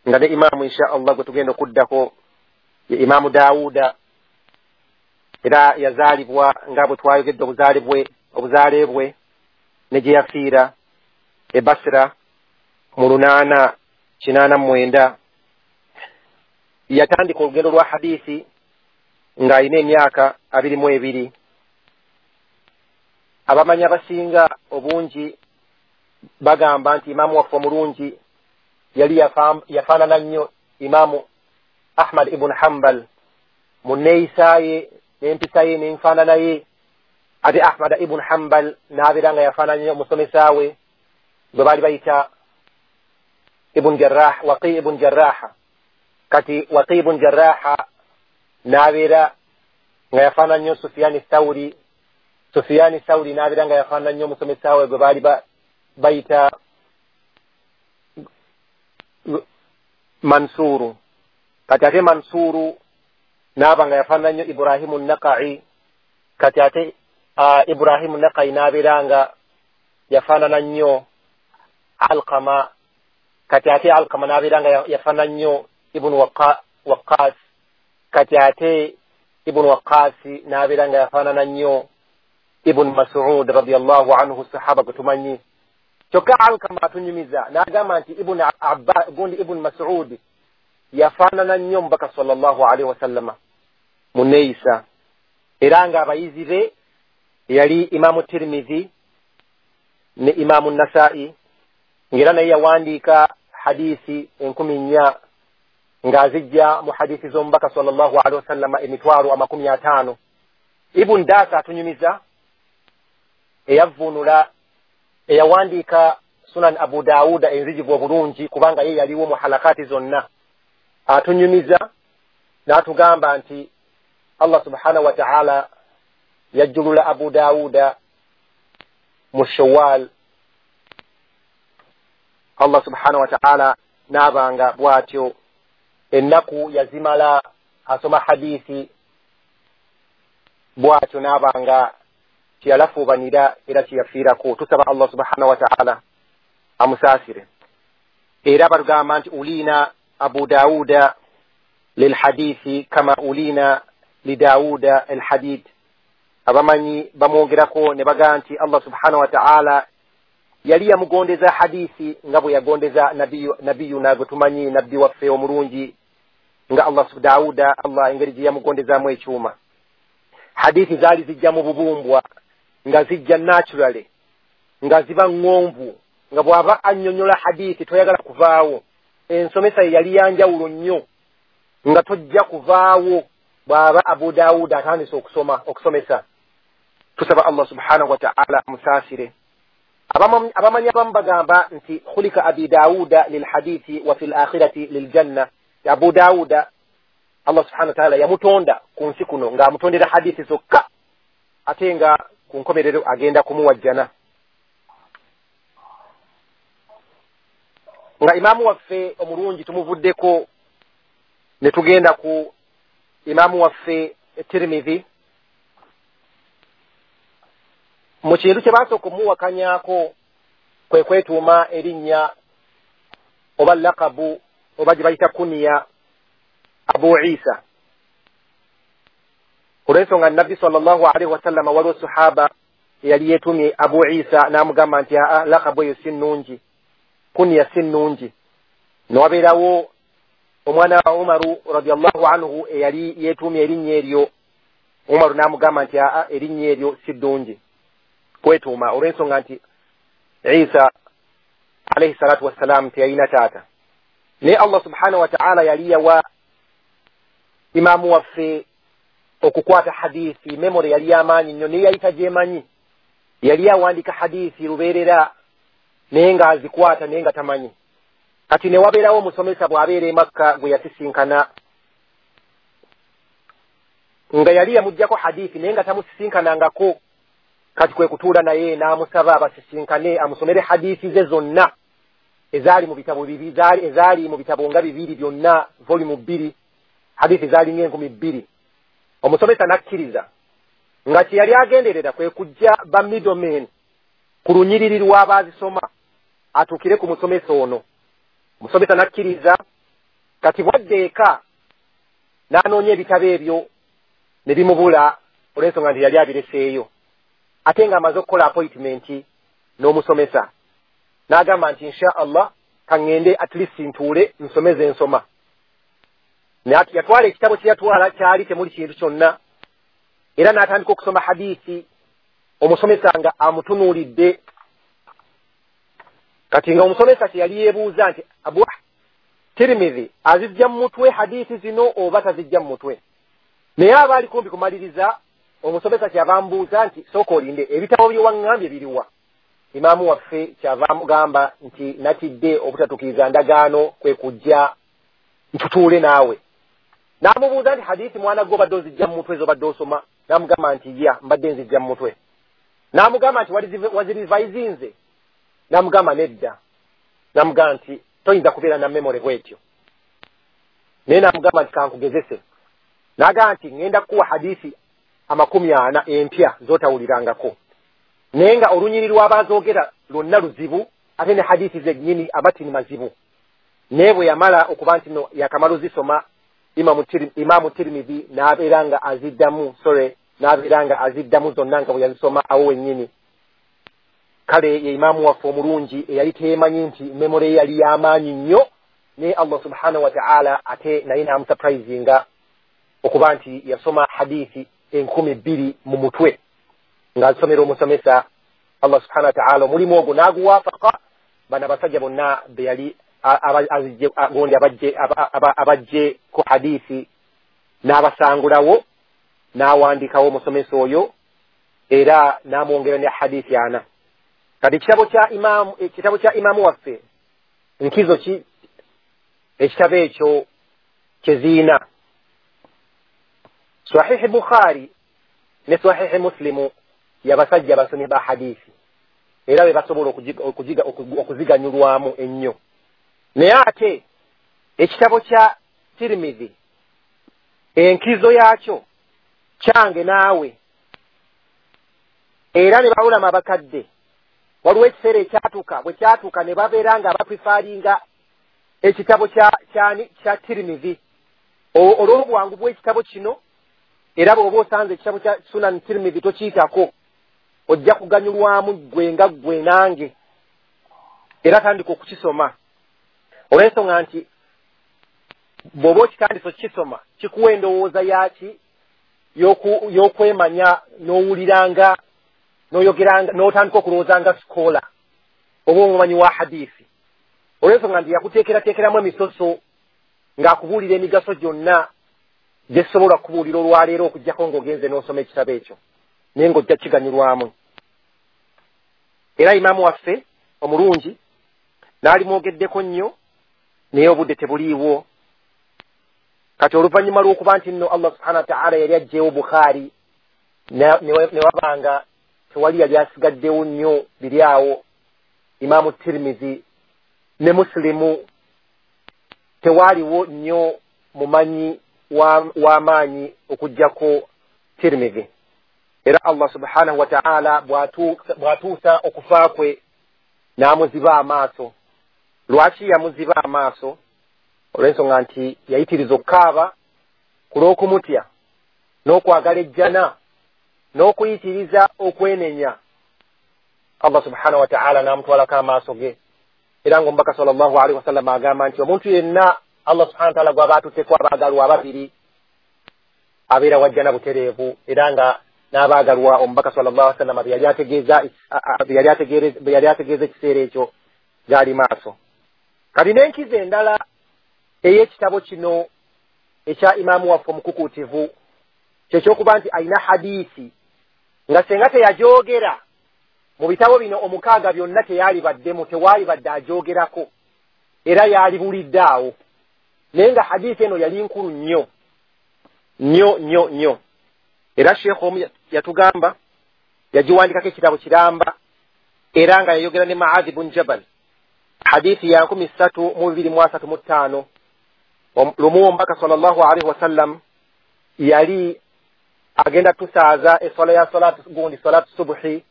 nga ne imaamu insha Allah gwe tugenda okuddako ye Imaamu Daawuda. Era yazaalibwa nga bwe twayogedde obuzaale bwe obuzaale bwe ne gye yafiira e Basra mu lunaana kinaana mu mwenda. Yatandika olugendo lwa hadiisi ng'alina emyaka abiri mu ebiri. Abamanyi abasinga obungi bagamba nti imaamu waffe omulungi yali yafaanana nnyo Imaamu Ahmad ibn Hanbal mu nneeyisa ye n'empisa ye n'enfaanana ye. Ate Ahmad ibn Hanbal n'abeera nga yafaanana nnyo omusomesa we gwe baali bayita Ibn Jarrah, Waqi ibn Jarraha. Kati Waqi ibn Jarraha n'abeera nga yafaanana nnyo Sufyani Thawri, Sufyani Thawri n'abeera nga yafaanana nnyo omusomesa we gwe baali bayita Mansuru. Kati ate Mansuru n'aba nga yafaanana nnyo Ibrahimu Naqai. Kati ate uh, Ibrahimu Naqai n'abeera nga yafaanana nnyo Alqama. Kati ate Alqama n'abeera nga yafaanana nnyo Ibn Waqqas. Kati ate Ibn Waqqas n'abeera nga yafaanana nnyo Ibn Mas'ud radiyallahu anhu, sahaba gwe tumanyi. Kyokka Alqama atunyumiza n'agamba nti Ibn Abba gundi Ibn Mas'ud yafaanana nnyo Omubaka sallallahu alaihi wasallama mu nneeyisa. Era nga abayizi be yali Imaamu Tirmidhi ne Imaamu Nasaa'i, ng'era naye yawandiika hadiisi enkumi nnya ng'azijja mu hadiisi z'Omubaka sallallahu alaihi wasallama emitwalo amakumi ataano. Ibn Dasa atunyumiza eyavvuunula eyawandiika Sunan Abu Dawuda enzijivu obulungi, kubanga ye yaliwo mu halakati zonna, atunyumiza n'atugamba nti Allah subhanahu wa ta'ala yajjulula Abu Dawuda mu Shawwal. Allah subhanahu wa ta'ala n'abanga bw'atyo ennaku yazimala asoma hadiisi bw'atyo n'abanga kyeyalafuubanira era kyeyafiirako. Tusaba Allah subhanahu wa ta'ala amusaasire. Era batugamba nti ulina Abu Dawuda lilhadithi kama ulina lidawuda alhadid. Abamanyi bamwogerako ne bagamba nti Allah subhanahu wa ta'ala yali yamugondeza hadithi nga bwe yagondeza nabiyu nabiyuna gwe tumanyi nabbi waffe omulungi nga Allah Dawuda, Allah engeri gye yamugondezaamu ekyuma. Hadithi zaali zijja mu bubumbwa nga zijja naturally, nga ziba ŋŋonvu, nga bw'aba annyonnyola hadithi toyagala kuvaawo. Ensomesa ye yali yanjawulo nnyo, nga tojja kuvaawo bw'aba Abu Dawuda atandise okusoma okusomesa. Tusaba Allah subhanahu wa ta'ala amusaasire. Abamanyi abamu bagamba nti khulika Abi Dawuda lilhadithi wa fil akhirati liljanna. Abu Dawuda Allah subhanahu wa ta'ala yamutonda ku nsi kuno ng'amutondera hadithi zokka, ate nga ku nkomerero agenda kumuwa jjana. Nga imaamu waffe omulungi tumuvuddeko ne tugenda ku imaamu waffe Tirmidhi. Mu kintu kye basooka omuwakanyaako kwe kwetuuma erinnya oba lakabu oba gye bayita kuniya Abu Isa. Olw'ensonga Nabbi sallallahu alaihi wasallama waliwo sahaba eyali yeetumye Abu Isa n'amugamba nti aa, lakabu eyo si nnungi, kuniya si nnungi. Ne wabeerawo omwana wa Umaru radiyallahu anhu eyali yeetumye erinnya eryo, Umaru n'amugamba nti aa, erinnya eryo si ddungi kwetuuma, olw'ensonga nti Isa alayhi salatu wassalam teyalina taata. Naye Allah subhanahu wa ta'ala yali yawa imaamu waffe okukwata hadithi, memory yali yamaanyi nnyo, naye yali tagyemanyi. Yali awandiika hadithi lubeerera naye ng'azikwata naye nga tamanyi. Kati ne wabeerawo omusomesa bw'abeera e Makka gwe yasisinkana, nga yali yamuggyako hadithi naye nga tamusisinkanangako. Kati kwe kutuula naye n'amusaba basisinkane amusomere hadithi ze zonna ezaali mu bitabo bibiri, ezaali mu bitabo nga bibiri byonna, volume bbiri, hadithi zaali ng'enkumi bbiri. Omusomesa n'akkiriza Nga kye yali agenderera kwe kujja ba middlemen ku lunyiriri lw'abaazisoma atuukire ku musomesa ono. Omusomesa n'akkiriza. Kati bwadde eka n'anoonya ebitabo ebyo ne bimubula olw'ensonga nti yali abireseeyo, ate ng'amaze okukola appointment n'omusomesa, n'agamba nti insha Allah kaŋŋende at least ntuule nsomeze ensoma. Naye yatwala ekitabo kye yatwala kyali temuli kintu kyonna, era n'atandika okusoma hadiisi, omusomesa nga amutunuulidde. Kati nga omusomesa kye yali yeebuuza nti Abu Tirmidhi azijja mu mutwe hadiisi zino oba tazijja mu mutwe. Naye aba ali kumpi kumaliriza, omusomesa kyava amubuuza nti sooka olinde, ebitabo bye waŋŋambye biriwa? Imaamu waffe kyava amugamba nti natidde obutatuukiriza ndagaano kwe kujja ntutuule naawe. N'amubuuza nti hadiisi mwana gwe obadde ozijja mu mutwe z'obadde osoma? N'amugamba nti ya, mbadde nzijja mu mutwe. N'amugamba nti wazirivayizinze? N'amugamba nedda. N'amugamba nti toyinza kubeera na memory bw'etyo. Naye n'amugamba nti kankugezese. N'agamba nti ŋŋenda kukuwa hadiisi amakumi ana empya z'otawulirangako, naye nga olunyiriri lw'abazoogera lwonna luzibu, ate ne hadiisi zennyini amatini mazibu. Naye bwe yamala okuba nti no yakamala ozisoma, Imaamu Tirmidhi n'abeera nga aziddamu, sorry, n'abeera nga aziddamu zonna nga bwe yazisoma awo wennyini. Kale ye imaamu waffe omulungi eyali teyeemanyi nti memory ye yali y'amaanyi nnyo, naye Allah subhanahu wa ta'ala ate naye n'amusurprisinga okuba nti yasoma hadiisi enkumi bbiri mu mutwe ng'azisomera omusomesa. Allah subhanahu wa ta'ala omulimu ogwo n'aguwaafaka bano abasajja bonna be yali gondi abajje abajje ku hadiisi n'abasangulawo, n'awandikawo omusomesa oyo era n'amwongera ne hadiisi ana. Kati ekitabo kya imaamu, ekitabo kya imaamu waffe nkizo ki ekitabo ekyo kyeziina Sahihi Bukhari ne Sahihi Muslimu yabasajja basomi ba hadiisi, era be basobola okujiga okuziganyulwamu ennyo. Naye ate ekitabo kya Tirmidhi enkizo yakyo kyange naawe, era ne bawulama abakadde waliwo ekiseera ekyatuuka bwe kyatuuka ne babeera nga baprefaringa ekitabo kya kyani kya Tirmidhi olw'obwangu bw'ekitabo kino. Era bw'oba osanze ekitabo kya Sunan Tirmidhi tokiyitako, ojja kuganyulwamu ggwe nga ggwe nange. Era tandika okukisoma olw'ensonga nti bw'oba okitandise okukisoma kikuwa endowooza yaki y'okwemanya, n'owuliranga n'oyogeranga n'otandika okulowooza nga sikola oba omumanyi wa hadiisi, olw'ensonga nti yakuteekerateekeramu emisoso ng'akubuulira emigaso gyonna gyesobola kubuulira olwaleero okuggyako ng'ogenze n'osoma ekitabo ekyo, naye ng'ojja kiganyulwamu. Era imaamu waffe omulungi n'alimwogeddeko nnyo, naye obudde tebuliiwo. Kati oluvannyuma lw'okuba nti nno Allah subhanahu wa ta'ala yali aggyewo Bukhari ne wabanga tewali yali asigaddewo nnyo biri awo, Imaamu Tirmidhi ne Muslimu tewaaliwo nnyo mumanyi w'amaanyi okuggyako Tirmidhi. Era Allah subhanahu wa ta'ala bw'atuusa okufa kwe n'amuziba amaaso. Lwaki yamuziba amaaso? Olw'ensonga nti yayitiriza okukaaba ku lw'okumutya n'okwagala ejjana n'okuyitiriza okwenenya. Allah subhanahu wa ta'ala n'amutwalako amaaso ge. Era ng'omubaka sallallahu alaihi wasallam agamba nti omuntu yenna Allah subhanahu wa ta'ala gw'aba atutteko abaagalwa ababiri abeera wajjana butereevu. Era nga n'abaagalwa omubaka sallallahu alaihi wasallam bye yali ategeeza bye yali ategeeza ekiseera ekyo gaali maaso. Kati n'enkizo endala ey'ekitabo kino ekya imaamu waffe omukukuutivu kyekyokuba nti alina hadiisi nga senga teyagyogera mu bitabo bino omukaaga byonna teyalibaddemu, tewalibadde agyogerako, era yalibulidde awo. Naye nga hadiisi eno yali nkulu nnyo nnyo nnyo nnyo. Era Sheikh omu yatugamba yagiwandikako ekitabo kiramba, era nga yayogera ne Muadh ibn Jabal, hadiisi ya nkumi ssatu mu bibiri mu asatu mu ttaano. Lumu omubaka sallallahu alaihi wasallam yali agenda tusaaza eswala ya salatu gundi salatu subuhi,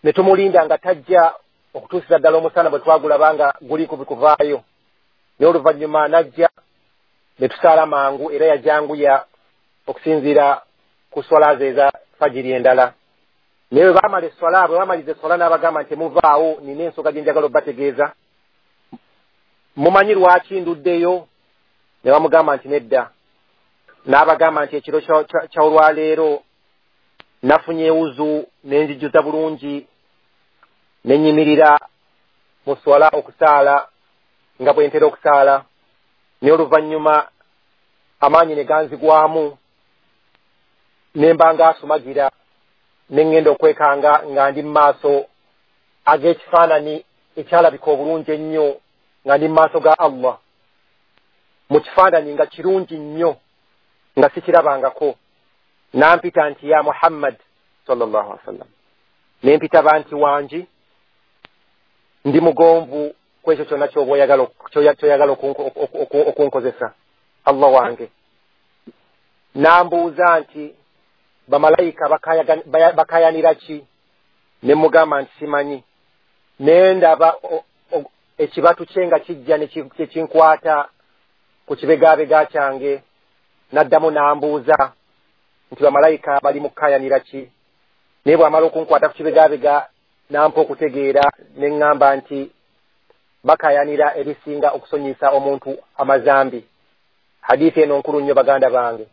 ne tumulinda nga tajja okutuusiza ddala omusana bwe twagulabanga guli kubikuvaayo. Naye oluvannyuma najja ne tusaala mangu, era yajanguya okusinziira ku swala ze eza fajiri endala. Naye bwe baamala eswala, bwe baamaliza eswala n'abagamba nti muvaawo, nina ensonga gye njagala obbategeeza. Mumanyi lwaki nduddeyo? Ne bamugamba nti nedda. N'abagamba nti ekiro kya olwaleero nafunye ewuzu ne nzijjuza bulungi, ne nnyimirira mu swala okusaala nga bwe ntera okusaala, naye oluvannyuma amaanyi ne ganzigwamu, ne mba nga asumagira, ne ŋŋenda okwekanga nga ndi mu maaso ag'ekifaananyi ekyalabika obulungi ennyo, nga ndi mu maaso ga Allah, mu kifaananyi nga kirungi nnyo nga sikirabangako. Nampita nti ya Muhammad sallallahu alaihi wasallam, ne mpitaba nti wangi, ndi mugonvu ku ekyo kyonna ky'oba oyagala ky'oyagala okunkozesa, Allah wange. Nambuuza nti bamalayika bakayanira ki? Ne mugamba nti simanyi. Ne ndaba ekibatu kye nga kijja ne kinkwata ku kibegaabega kyange. Naddamu n'ambuuza nti bamalayika bali mu kukayanira ki? Naye bw'amala okunkwata ku kibegaabega n'ampa okutegeera, ne ŋŋamba nti bakayanira ebisinga okusonyisa omuntu amazambi. Hadithi eno nkulu nnyo baganda bange.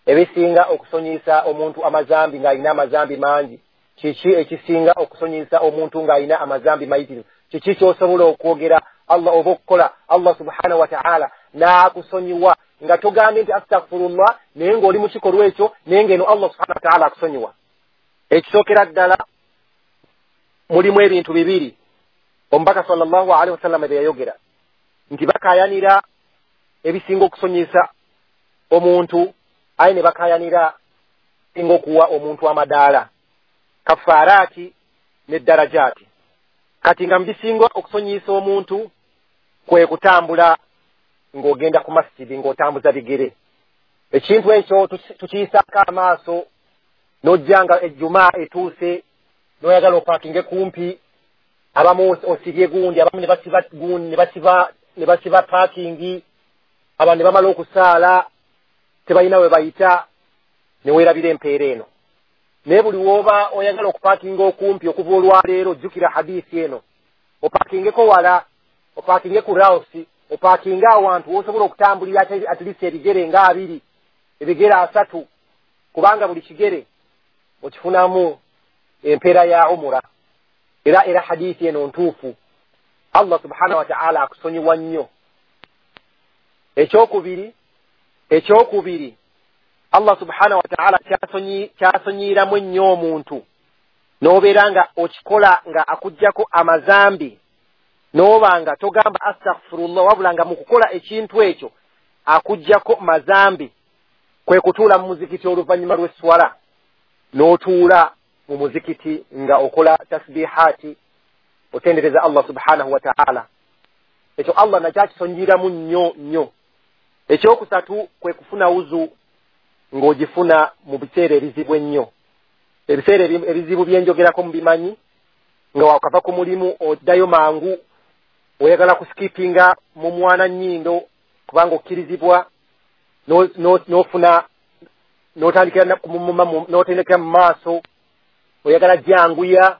Ebisinga okusonyisa omuntu amazambi ng'alina amazambi mangi, kiki ekisinga okusonyisa omuntu ng'alina amazambi mayitirivu? Kiki ky'osobola okwogera Allah oba okukola Allah subhanahu wa ta'ala n'akusonyiwa nga togambye nti astaghfirullah, naye ng'oli mu kikolwa ekyo, naye ng'eno Allah subhanahu wa ta'ala akusonyiwa? Ekisookera ddala mulimu ebintu bibiri omubaka sallallahu alaihi wasallam bye yayogera nti bakayanira ebisinga okusonyisa omuntu, aye ne bakayanira singa okuwa omuntu amadaala, kafaaraati ne darajaati. Kati nga mubisinga okusonyisa omuntu kwe kutambula ng'ogenda ku masjidi ng'otambuza bigere. Ekintu ekyo tukiyisaako amaaso, n'ojja nga ejjumaa etuuse n'oyagala opaakinge kumpi, abamu osibye gundi, abamu ne basiba gundi, ne basiba ne basiba paakingi, abantu ne bamala okusaala tebalina we bayita, ne weerabira empeera eno. Naye buli w'oba oyagala okupaakinga okumpi okuva olwaleero, jjukira hadiisi eno, opaakingeko wala, opaakinge ku rawusi, opaakinge awantu w'osobola okutambulira at least ebigere nga abiri, ebigere asatu, kubanga buli kigere okifunamu empeera ya umura. Era era hadiisi eno ntuufu, Allah subhanahu wa ta'ala akusonyiwa nnyo. Ekyokubiri, ekyokubiri Allah subhanahu wa ta'ala kyasonyiiramu ennyo omuntu, n'obeera nga okikola nga akuggyako amazambi, n'oba nga togamba astaghfirullah, wabula nga mu kukola ekintu ekyo akuggyako mazambi, kwe kutuula mu muzikiti oluvannyuma lw'esswala, n'otuula mu muzikiti nga okola tasbihaati, otendereza Allah subhanahu wa ta'ala. Ekyo Allah nakyo akisonyiiramu nnyo nnyo. Ekyokusatu kwe kufuna wuzu ng'ogifuna mu biseera ebizibu ennyo. Ebiseera ebizibu byenjogerako mubimanyi, nga wakava ku mulimu oddayo mangu, oyagala kusikipinga mu mwana nnyindo kubanga okkirizibwa, n'ofuna n'otandikira n'otendekera mu maaso, oyagala janguya.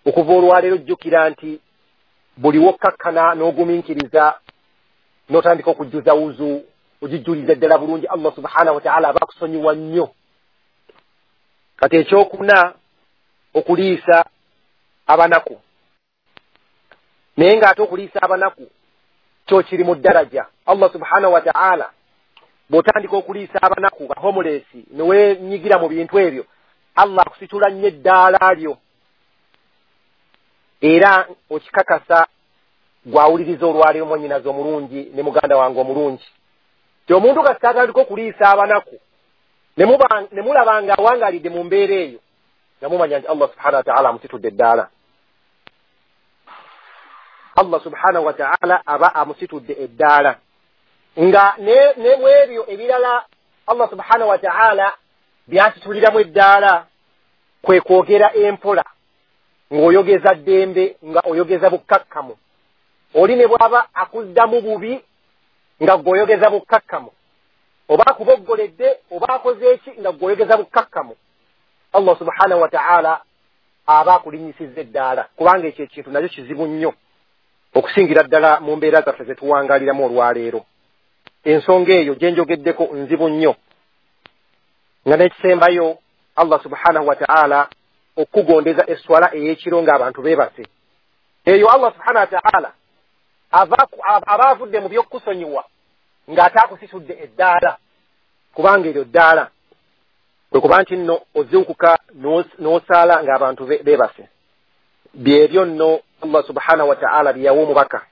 Okuva olwaleero jjukira nti buli wokkakkana n'ogumiikiriza n'otandika okujjuza wuzu, ogijjuliza ddala bulungi, Allah subhanahu wa ta'ala aba akusonyiwa nnyo. Kati ekyokuna okuliisa abanaku, naye ng'ate okuliisa abanaku kyo kiri mu ddaraja. Allah subhanahu wa ta'ala bw'otandika okuliisa abanaku ba homeless ne weenyigira mu bintu ebyo, Allah akusitula nnyo eddaala lyo, era okikakasa gwawuliriza olwaleero mwannyinaze omulungi ne muganda wange omulungi, ti omuntu kasita atandika okuliisa abanaku ne mulaba nga awangaalidde mu mbeera eyo, nga mumanya nti Allah subhanahu wa ta'ala amusitudde eddaala. Allah subhanahu wa ta'ala aba amusitudde eddaala. Nga ne mu ebyo ebirala Allah subhanahu wa ta'ala Byasituliramu eddaala kwe kwogera empola ng'oyogeza ddembe, nga oyogeza bukkakkamu. Oli ne bw'aba akuddamu bubi nga ggw'oyogeza bukkakkamu, oba akuboggoledde oba akoze eki nga ggw'oyogeza bukkakkamu, Allah subhanahu wa ta'ala aba akulinnyisizza eddaala, kubanga ekyo ekintu nakyo kizibu nnyo okusingira ddala mu mbeera zaffe ze tuwangaaliramu olwaleero. Ensonga eyo gye njogeddeko nzibu nnyo. Nga n'ekisembayo, Allah subhanahu wa ta'ala okukugondeza esswala ey'ekiro ng'abantu beebase. Eyo Allah subhanahu wa ta'ala aba avudde mu by'okukusonyiwa ng'ate akusisudde eddaala, kubanga eryo ddaala kwe kuba nti nno ozuukuka n'osaala ng'abantu beebase. Byebyo nno Allah subhanahu wa ta'ala bye yawa omubaka,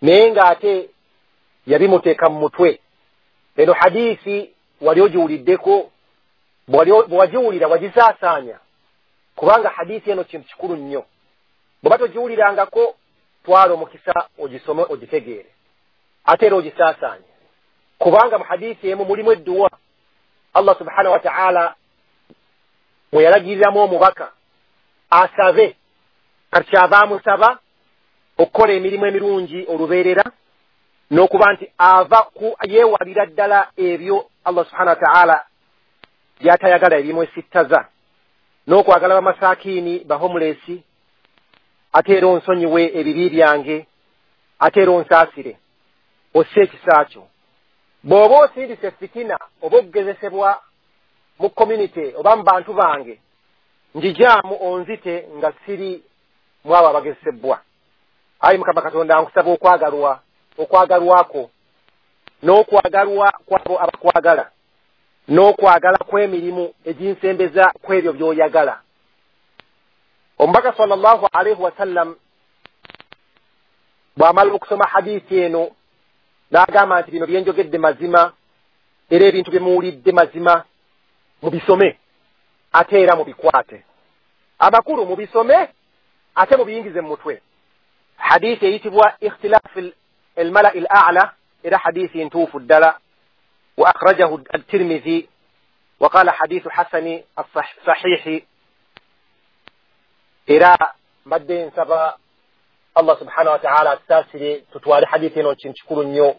naye ng'ate yabimuteeka mu mutwe. Eno hadiisi wali ogiwuliddeko, bwe wagiwulira wagisaasaanya, kubanga hadiisi eno kintu kikulu nnyo. Bw'oba togiwulirangako, twala omukisa ogisome ogitegeere, ate era ogisaasaanye, kubanga mu hadiisi emu mulimu edduwa Allah subhanahu wa ta'ala mwe yalagiriramu omubaka asabe. Kati kyava amusaba okukola emirimu emirungi olubeerera, n'okuba nti ava ku yeewalira ddala ebyo Allah subhanahu wa ta'ala by'atayagala ebimwesittaza, n'okwagala bamasakiini bahomelesi, ate era onsonyiwe ebibi byange, ate era onsaasire, osse ekisa kyo. Bw'oba osindise fitina oba okugezesebwa mu community oba mu bantu bange, njijaamu onzite nga siri mu abo abagezesebwa. Ayi Mukama Katonda, nkusaba okwagalwa okwagalwako n'okwagalwa kwabo abakwagala, n'okwagala kw'emirimu eginsembeza kw'ebyo by'oyagala. Omubaka sallallahu alaihi wasallam bw'amala okusoma hadiisi eno n'agamba nti bino byenjogedde mazima, era ebintu bye muwulidde mazima, mubisome ate era mubikwate. Amakulu mubisome ate mubiyingize mu mutwe. Hadiisi eyitibwa ikhtilaafu almalai al a'la, era hadiisi ntuufu ddala. Wa akhrajahu at-Tirmidhi wa qala hadithu hasani as-sahihi. Era mbadde nsaba Allah subhanahu wa ta'ala atusaasire tutwale hadithi eno kintu kikulu nnyo.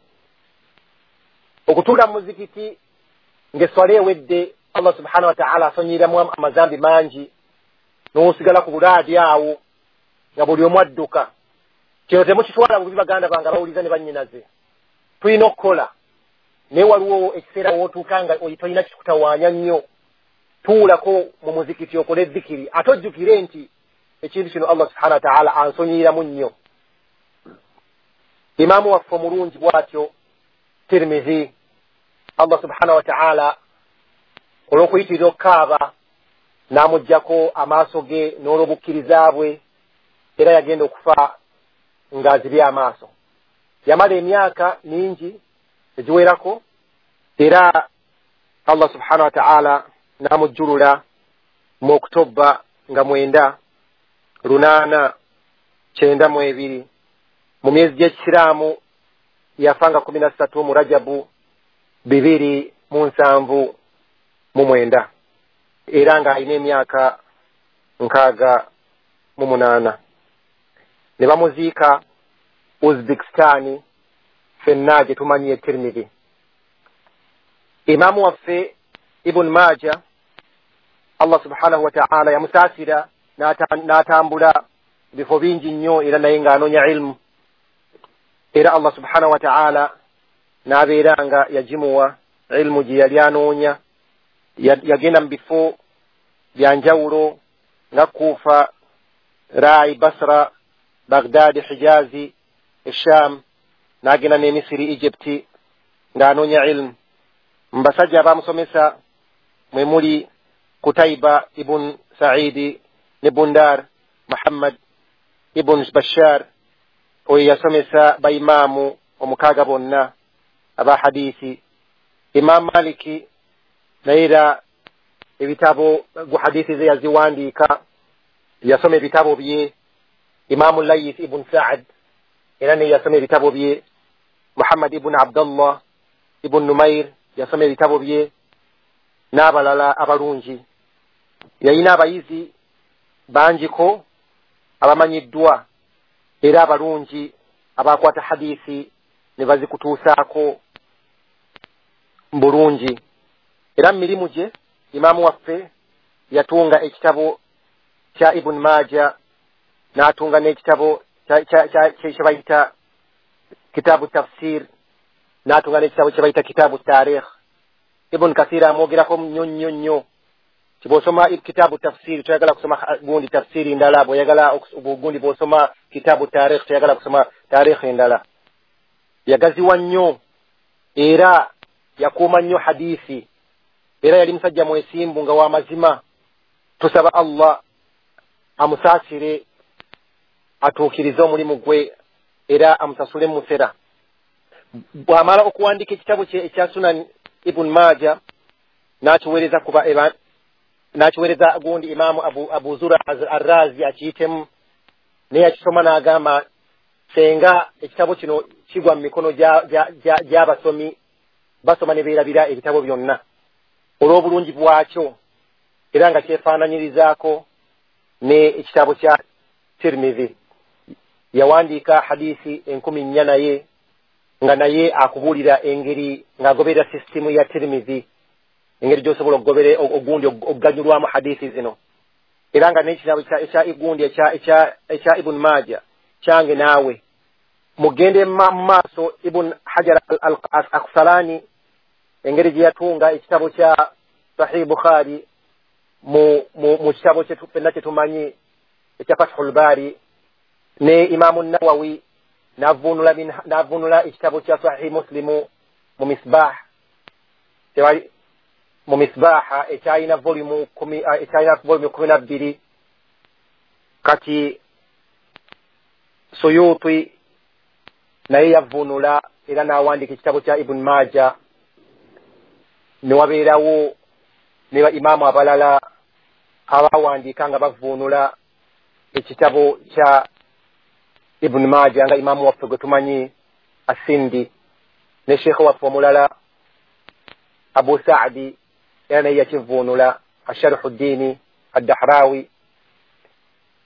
Okutuula mu muzikiti ng'esswala ewedde, Allah subhanahu wa ta'ala asonyiramu amazambi mangi, n'osigala ku bulaadi awo nga buli omu adduka. Kino temukitwala bubi baganda bange abawuliza ne bannyinaze. Tulina okukola, naye waliwo ekiseera w'otuuka nga tolina kikutawaanya nnyo. Tuulako mu muzikiti okole dhikiri, ate ojjukire nti ekintu kino Allah subhanahu wa ta'ala ansonyiramu nnyo. Imaamu waffe omulungi bw'atyo Tirmidhi, Allah subhanahu wa ta'ala olw'okuyitirira okukaaba n'amuggyako amaaso ge n'olw'obukkiriza bwe, era yagenda okufa ng'azibye amaaso. Yamala emyaka mingi egiwerako, era Allah subhanahu wa ta'ala n'amujjulula mu Oktoba nga mwenda lunaana kyenda mu ebiri. Mu myezi gy'ekisiraamu yafa nga kumi na ssatu mu Rajabu bibiri mu nsanvu mu mwenda, era ng'alina emyaka nkaaga mu munaana. Ne bamuziika Uzbekistan, ffenna gye tumanyi e Tirmidhi. Imaamu waffe Ibn Maja, Allah subhanahu wa ta'ala yamusaasira n'atambula bifo bingi nnyo, era naye ng'anoonya ilmu, era Allah subhanahu wa ta'ala n'abeera nga yagimuwa ilmu gye yali anoonya. Yagenda mu bifo bya njawulo nga Kufa, Rai, Basra, Baghdad, Hijazi, Esham, n'agenda ne Misiri, Egypt ng'anoonya ilmu. Mu basajja abamusomesa mwe muli Kutaiba ibn Saidi ne Bundar Muhammad ibn Bashar, oyo yasomesa baimaamu omukaaga bonna aba hadiisi. Imam Maliki naye era ebitabo gu hadiisi ze yaziwandiika, yasoma ebitabo bye. Imamu Layth ibn Sa'ad era naye yasoma ebitabo bye. Muhammad ibn Abdullah ibn Numair yasoma ebitabo bye. N'abalala abalungi. Yalina abayizi bangiko abamanyiddwa era abalungi abakwata hadisi ne bazikutuusaako bulungi. Era mu mirimu gye imaamu waffe yatunga ekitabo kya Ibn Maja, n'atunga n'ekitabo kye bayita kitabu tafsir, n'atunga n'ekitabo kye bayita kitabu tarikh. Ibn Kathir amwogerako nnyo nnyo nnyo. Bw'osoma kitabu tafsiri toyagala kusoma gundi tafsiri ndala, bw'oyagala gundi bw'osoma kitabu tarikh toyagala kusoma tarikh endala. Yagaziwa nnyo era yakuuma nnyo hadisi, era yali musajja mwesimbu nga wa mazima. Tusaba Allah amusaasire, atuukirize omulimu gwe era amusasule musera. Bw'amala okuwandiika ekitabo kye ekya Sunan Ibn Maja n'akiweereza kuba n'akiweereza gundi Imaamu Abu, Abu Zura Arrazi akiyitemu, naye yakisoma n'agamba senga ekitabo kino kigwa mu mikono gy'abasomi basoma ne beerabira ebitabo byonna olw'obulungi bwakyo, era nga kyefaananyirizaako ne ekitabo kya Tirmidhi. Yawandiika hadisi enkumi nnya naye nga naye akubuulira engeri ng'agoberera sisitimu ya Tirmidhi, engeri gy'osobola okugobere ogundi okuganyulwamu hadisi zino. Era nga n'ekitabo ekya igundi ekya Ibn Maja kyange naawe mugende mu maaso. Ibn Hajar al-Asqalani engeri gye yatunga ekitabo kya Sahih Bukhari mu mu kitabo kye ffenna kye tumanyi ekya Fathul Bari, ne Imaamu Nawawi n'avvuunula n'avvuunula ekitabo kya Sahih Muslimu mu Misbah tewali mu Misbaha ekyalina volume kumi ekyalina volume kumi na bbiri. Kati Suyuti naye yavvuunula era n'awandiika ekitabo kya Ibn Maja, ne wabeerawo ne ba imaamu abalala abawandiika nga bavvuunula ekitabo kya Ibn Maja, nga imaamu waffe gwe tumanyi Asindi, ne sheekhe waffe omulala Abu Saadi era naye yakivvuunula, Asharhu Ddiini Addahrawi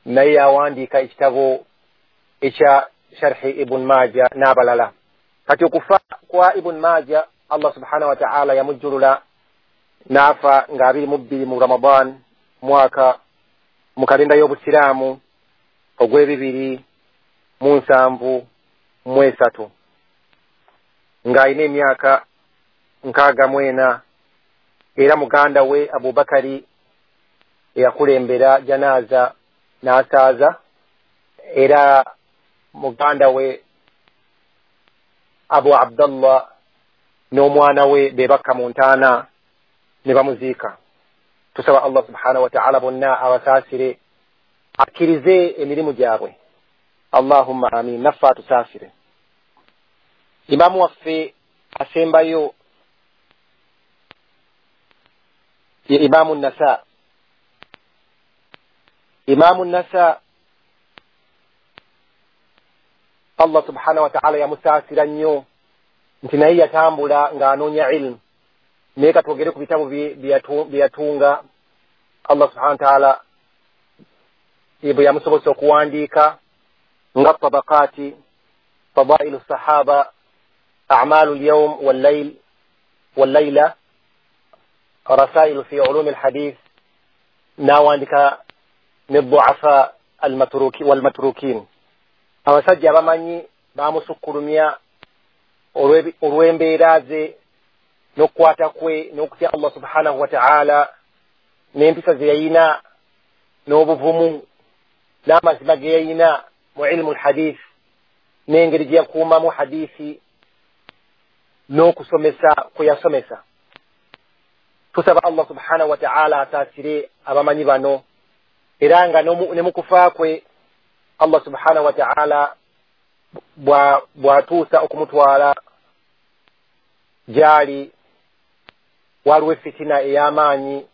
naye yawandiika ekitabo ekya Sharhi Ibn Maja n'abalala. Kati okufa kwa Ibn Maja Allah subhanahu wa ta'ala yamujjulula n'afa nga abiri mu bbiri mu Ramadan mwaka mu kalenda y'Obusiraamu ogw'ebibiri mu nsanvu mu esatu, ng'alina emyaka nkaaga mu ena. Era muganda we Abubakari eyakulembera janaaza n'asaaza, era muganda we Abu Abdallah n'omwana we be bakka mu ntaana ne bamuziika. Tusaba Allah subhanahu wa ta'ala bonna abasaasire, akkirize emirimu gyabwe. Allahumma amin. Naffe atusaasire. Imaamu waffe asembayo ye Imaamu Nasa. Imaamu Nasa Allah subhanahu wa ta'ala yamusaasira nnyo nti naye yatambula ng'anoonya ilmu. Naye katwogere ku bitabo bye yatunga. Allah subhanahu wa ta'ala bwe yamusobozesa okuwandiika nga tabakaati, fadailu sahaba, a'malu lyawm wallayl wallayla, rasailu fi ulumi alhadith, n'awandika ne duafa almatruki walmatrukin. Abasajja abamanyi bamusukkulumya olw'embeera ze n'okukwata kwe n'okutya Allah subhanahu wa ta'ala n'empisa ze yayina n'obuvumu n'amazima ge yayina mu ilmu alhadith, n'engeri gye yakuumamu hadisi n'okusomesa kwe yasomesa. Tusaba Allah subhanahu wa ta'ala asaasire abamanyi bano, era nga ne mu kufa kwe Allah subhanahu wa ta'ala bw'atuusa okumutwala gy'ali, waliwo efitina ey'amaanyi,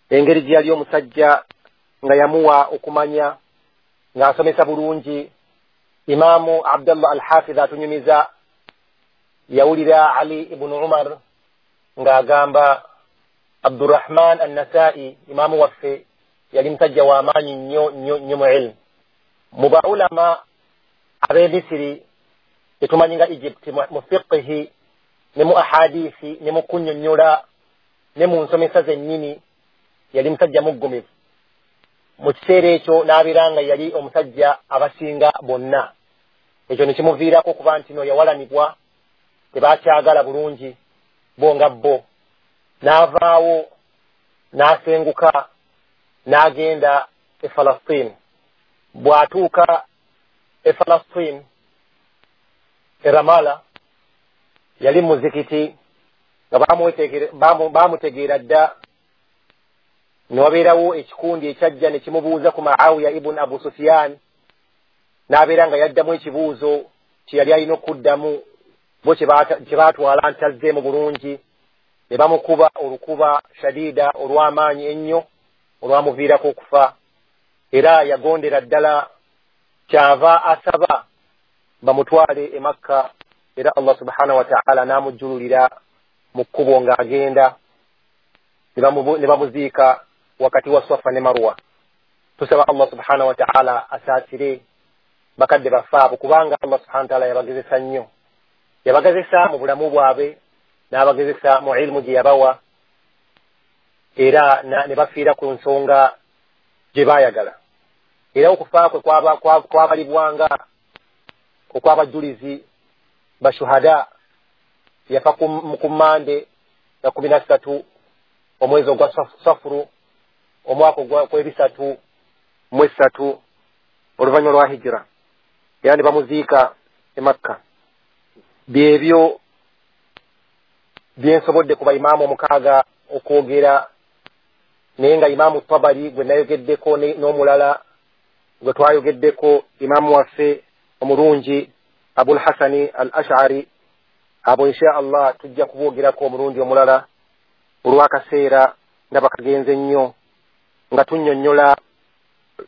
engeri gye yali omusajja nga yamuwa okumanya ng'asomesa bulungi. Imaamu Abdallah Al-Hafidh atunyumiza yawulira Ali ibn Umar ng'agamba Abdurrahman Annasai imaamu waffe yali musajja wa maanyi nnyo nnyo nnyo mu ilmu. Mu baulama ab'e Misiri tetumanyi nga Egypt mu fiqhi ne mu ahadisi ne mu kunnyonnyola ne mu nsomesa zennyini yali musajja muggumivu. Mu kiseera ekyo n'abeera nga yali omusajja abasinga bonna. Ekyo ne kimuviirako okuba nti no yawalanibwa, tebakyagala bulungi bo nga bo. N'avaawo n'asenguka n'agenda e Falastine. Bw'atuuka e Falastine e Ramala yali muzikiti nga bamutegeera dda. Ne wabeerawo ekikundi ekyajja ne kimubuuza ku Muawiya ibn Abu Sufyan, n'abeera nga yaddamu ekibuuzo kye yali alina okuddamu, bo kye baatwala nti azzeemu bulungi, ne bamukuba olukuba shadida olw'amaanyi ennyo olwamuviirako okufa. Era yagondera ddala, kyava asaba bamutwale e Makka, era Allah subhanahu wa ta'ala n'amujjululira mu kkubo ng'agenda, ne bamuziika wakati wa Swafa ne Marwa. Tusaba Allah subhanahu wa ta'ala asaasire bakadde baffe abo, kubanga Allah subhanahu wa ta'ala yabagezesa nnyo. Yabagezesa mu bulamu bwabwe, n'abagezesa mu ilmu gye yabawa, era ne bafiira ku nsonga gye baayagala. Era okufa kwe kwabalibwanga okw'abajulizi bashuhada. Yafa ku Mmande ya kumi na ssatu omwezi ogwa Safuru omwaka ogw'ebisatu mu esatu oluvannyuma lwa hijira, era ne bamuziika e Makka. Byebyo byensobodde ku baimaamu omukaaga okwogera, naye nga Imaamu Tabari gwe nayogeddeko n'omulala gwe twayogeddeko, imaamu waffe omulungi Abul Hasani al Ash'ari, abo insha Allah tujja kuboogerako omulundi omulala olw'akaseera ndaba kagenze nnyo, nga tunnyonnyola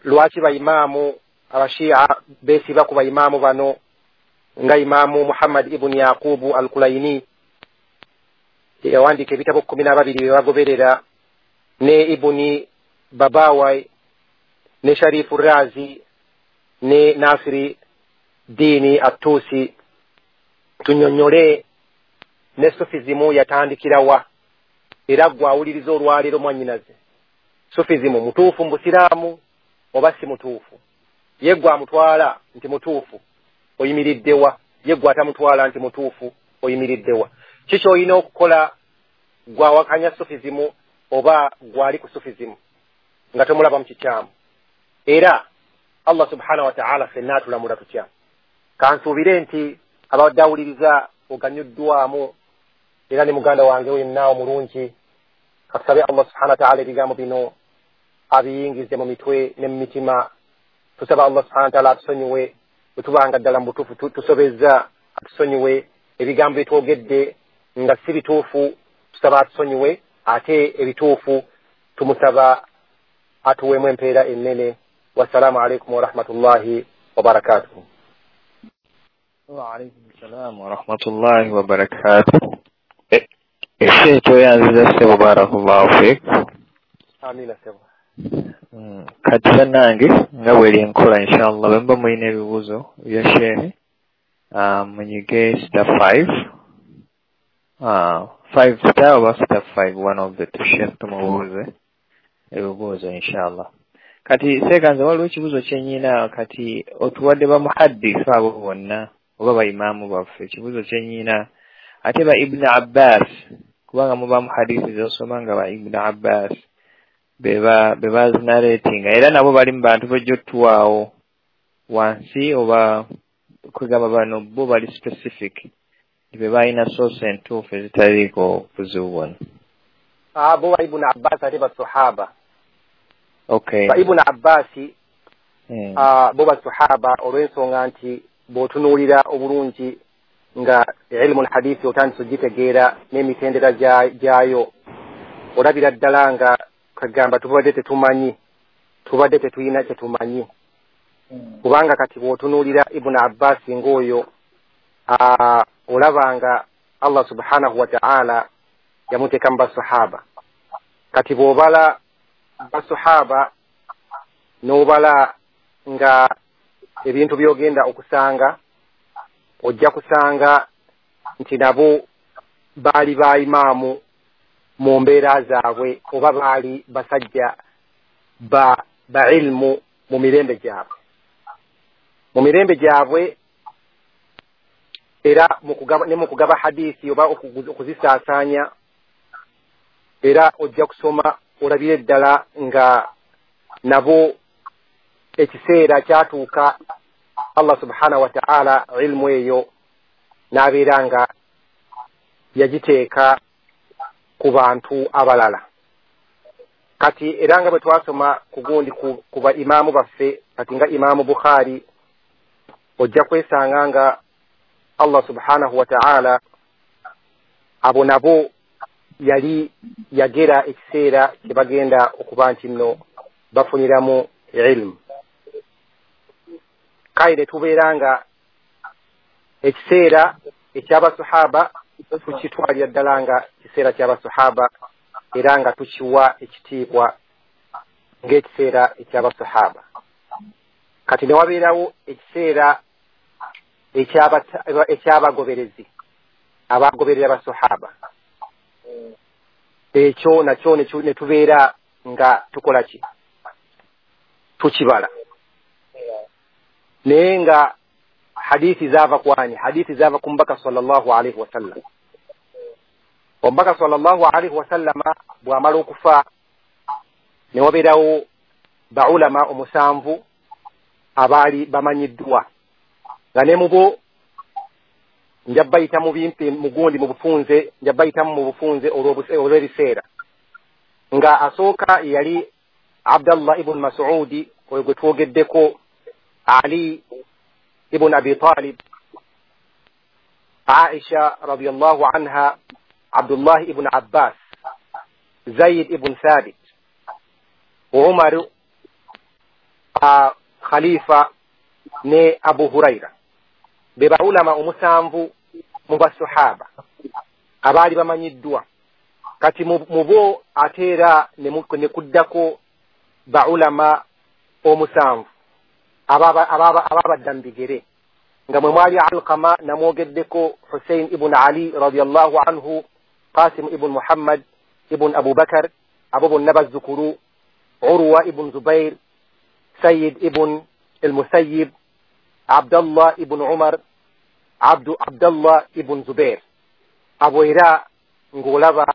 lwaki baimaamu abashia beesiba ku baimaamu bano nga Imaamu Muhammad ibn Yaqubu al-Kulaini yawandiika ebitabo kkumi na babiri bye bagoberera, ne Ibuni Babawai ne Sharifu Razi ne Nasiri Dini Atusi. Tunnyonnyole ne Sufizimu yatandikirawa, era gwe awuliriza olwaleero mwannyinaze, Sufizimu mutuufu mu Busiraamu oba si mutuufu? Ye gwe amutwala nti mutuufu oyimiriddewa? Ye gwe atamutwala nti mutuufu oyimiriddewa? Kiki olina okukola gwe awakanya Sufizimu oba gwali ku Sufizimu nga tomulaba mu kikyamu? Era Allah subhanahu wa ta'ala ffenna atulamula tutya? Kansuubire nti abadde awuliriza oganyuddwamu, era ne muganda wange wenna omulungi, katusabe Allah subhanahu wa ta'ala ebigambo bino abiyingize mu mitwe ne mu mitima. Tusaba Allah subhanahu wa ta'ala atusonyiwe bwe tubanga ddala mu butuufu tusobezza, atusonyiwe ebigambo byetwogedde nga si bituufu, tusaba atusonyiwe, ate ebituufu tumusaba atuweemu empeera ennene. Wassalaamu alaikum warahmatullahi wabarakatuhu. Wa alaikum salam warahmatullahi wabarakatuh. Ese toyanziza ssebo, barakallahu fiik. Amina ssebo. Kati bannange nga bweri enkola, inshallah bwe muba mulina ebibuuzo bya shehe munyige star five, five star oba star five, one of the two, shehe tumubuuze ebibuuzo inshallah. Kati seekanze waliwo ekibuuzo kye nnyina, kati otuwadde ba muhaddisi abo bonna oba baimaamu baffe, ekibuuzo kye nnyina ate ba Ibn Abbas, kubanga muba muhadisi z'osoma nga ba Ibn Abbas beba bebazinaretinga, era nabo bali mu bantu bajja otuwaawo wansi oba kwegamba bano bo bali specific be balina source entuufu ezitaliiko buzibu bwonna. Abo ba Ibn Abbas ate basahaba. Okay. Ba Ibn Abbas mm. bo basahaba olw'ensonga nti bw'otunuulira obulungi nga ilmu al-hadithi otandise ogitegeera n'emitendera gyayo, olabira ddala nga kagamba tubadde tetumanyi, tubadde tetulina kye tumanyi. Kubanga kati bw'otunuulira Ibn Abbas ng'oyo olaba nga Allah subhanahu wa ta'ala yamuteeka mu basahaba. Kati bw'obala basahaba n'obala nga ebintu by'ogenda okusanga, ojja kusanga nti nabo baali ba imaamu mu mbeera zaabwe oba baali basajja ba ba ilmu mu mirembe gyabwe mu mirembe gyabwe era ne mu kugaba hadithi oba okuzisaasaanya, era ojja kusoma olabire ddala nga nabo ekiseera kyatuuka Allah subhanahu wa ta'ala ilmu eyo n'abeera nga yagiteeka ku bantu abalala. Kati era nga bwe twasoma ku gundi ku ba imaamu baffe, kati nga Imaamu Bukhari, ojja kwesanga nga Allah subhanahu wa ta'ala abo nabo yali yagera ekiseera kye bagenda okuba nti nno bafuniramu ilmu. Kale ne tubeera nga ekiseera eky'abasahaba tukitwalira ddala nga kiseera ky'abasahaba, era nga tukiwa ekitiibwa ng'ekiseera eky'abasahaba. Kati ne wabeerawo ekiseera ekyabagoberezi abagoberera abasahaba, ekyo nakyo ne tubeera nga tukola ki? Tukibala. Naye nga hadithi zaava kwani? Hadithi zaava ku Mubaka sallallahu alaihi wasallam. Omubaka sallallahu alaihi wasallama bw'amala okufa ne wabeerawo baulama omusanvu abaali bamanyiddwa, nga ne mubo nja bayita mu bimpi mugundi mu bufunze, nja bayitamu mu bufunze olw'ebiseera. Nga asooka yali Abdallah ibn Mas'udi, oyo gwe twogeddeko, Ali ibn Abi Talib, Aisha radiyallahu anha, Abdullah ibn Abbas, Zaid ibn Thabit, Umar uh, Khalifa ne Abu Huraira. Be baulama omusanvu mu basahaba abaali bamanyiddwa. Kati mu bo ate era ne kuddako baulama omusanvu ababadda mu bigere, nga mwe mwali Alqama namwogeddeko, Hussein ibn Ali radiyallahu anhu, Qasim ibn Muhammad ibn Abu Bakar, abo bonna bazzukulu, Urwa ibn Zubair, Sayyid ibn al-Musayyib, Abdallah ibn Umar, Abdu Abdallah ibn Zubair. Abo era ng'olaba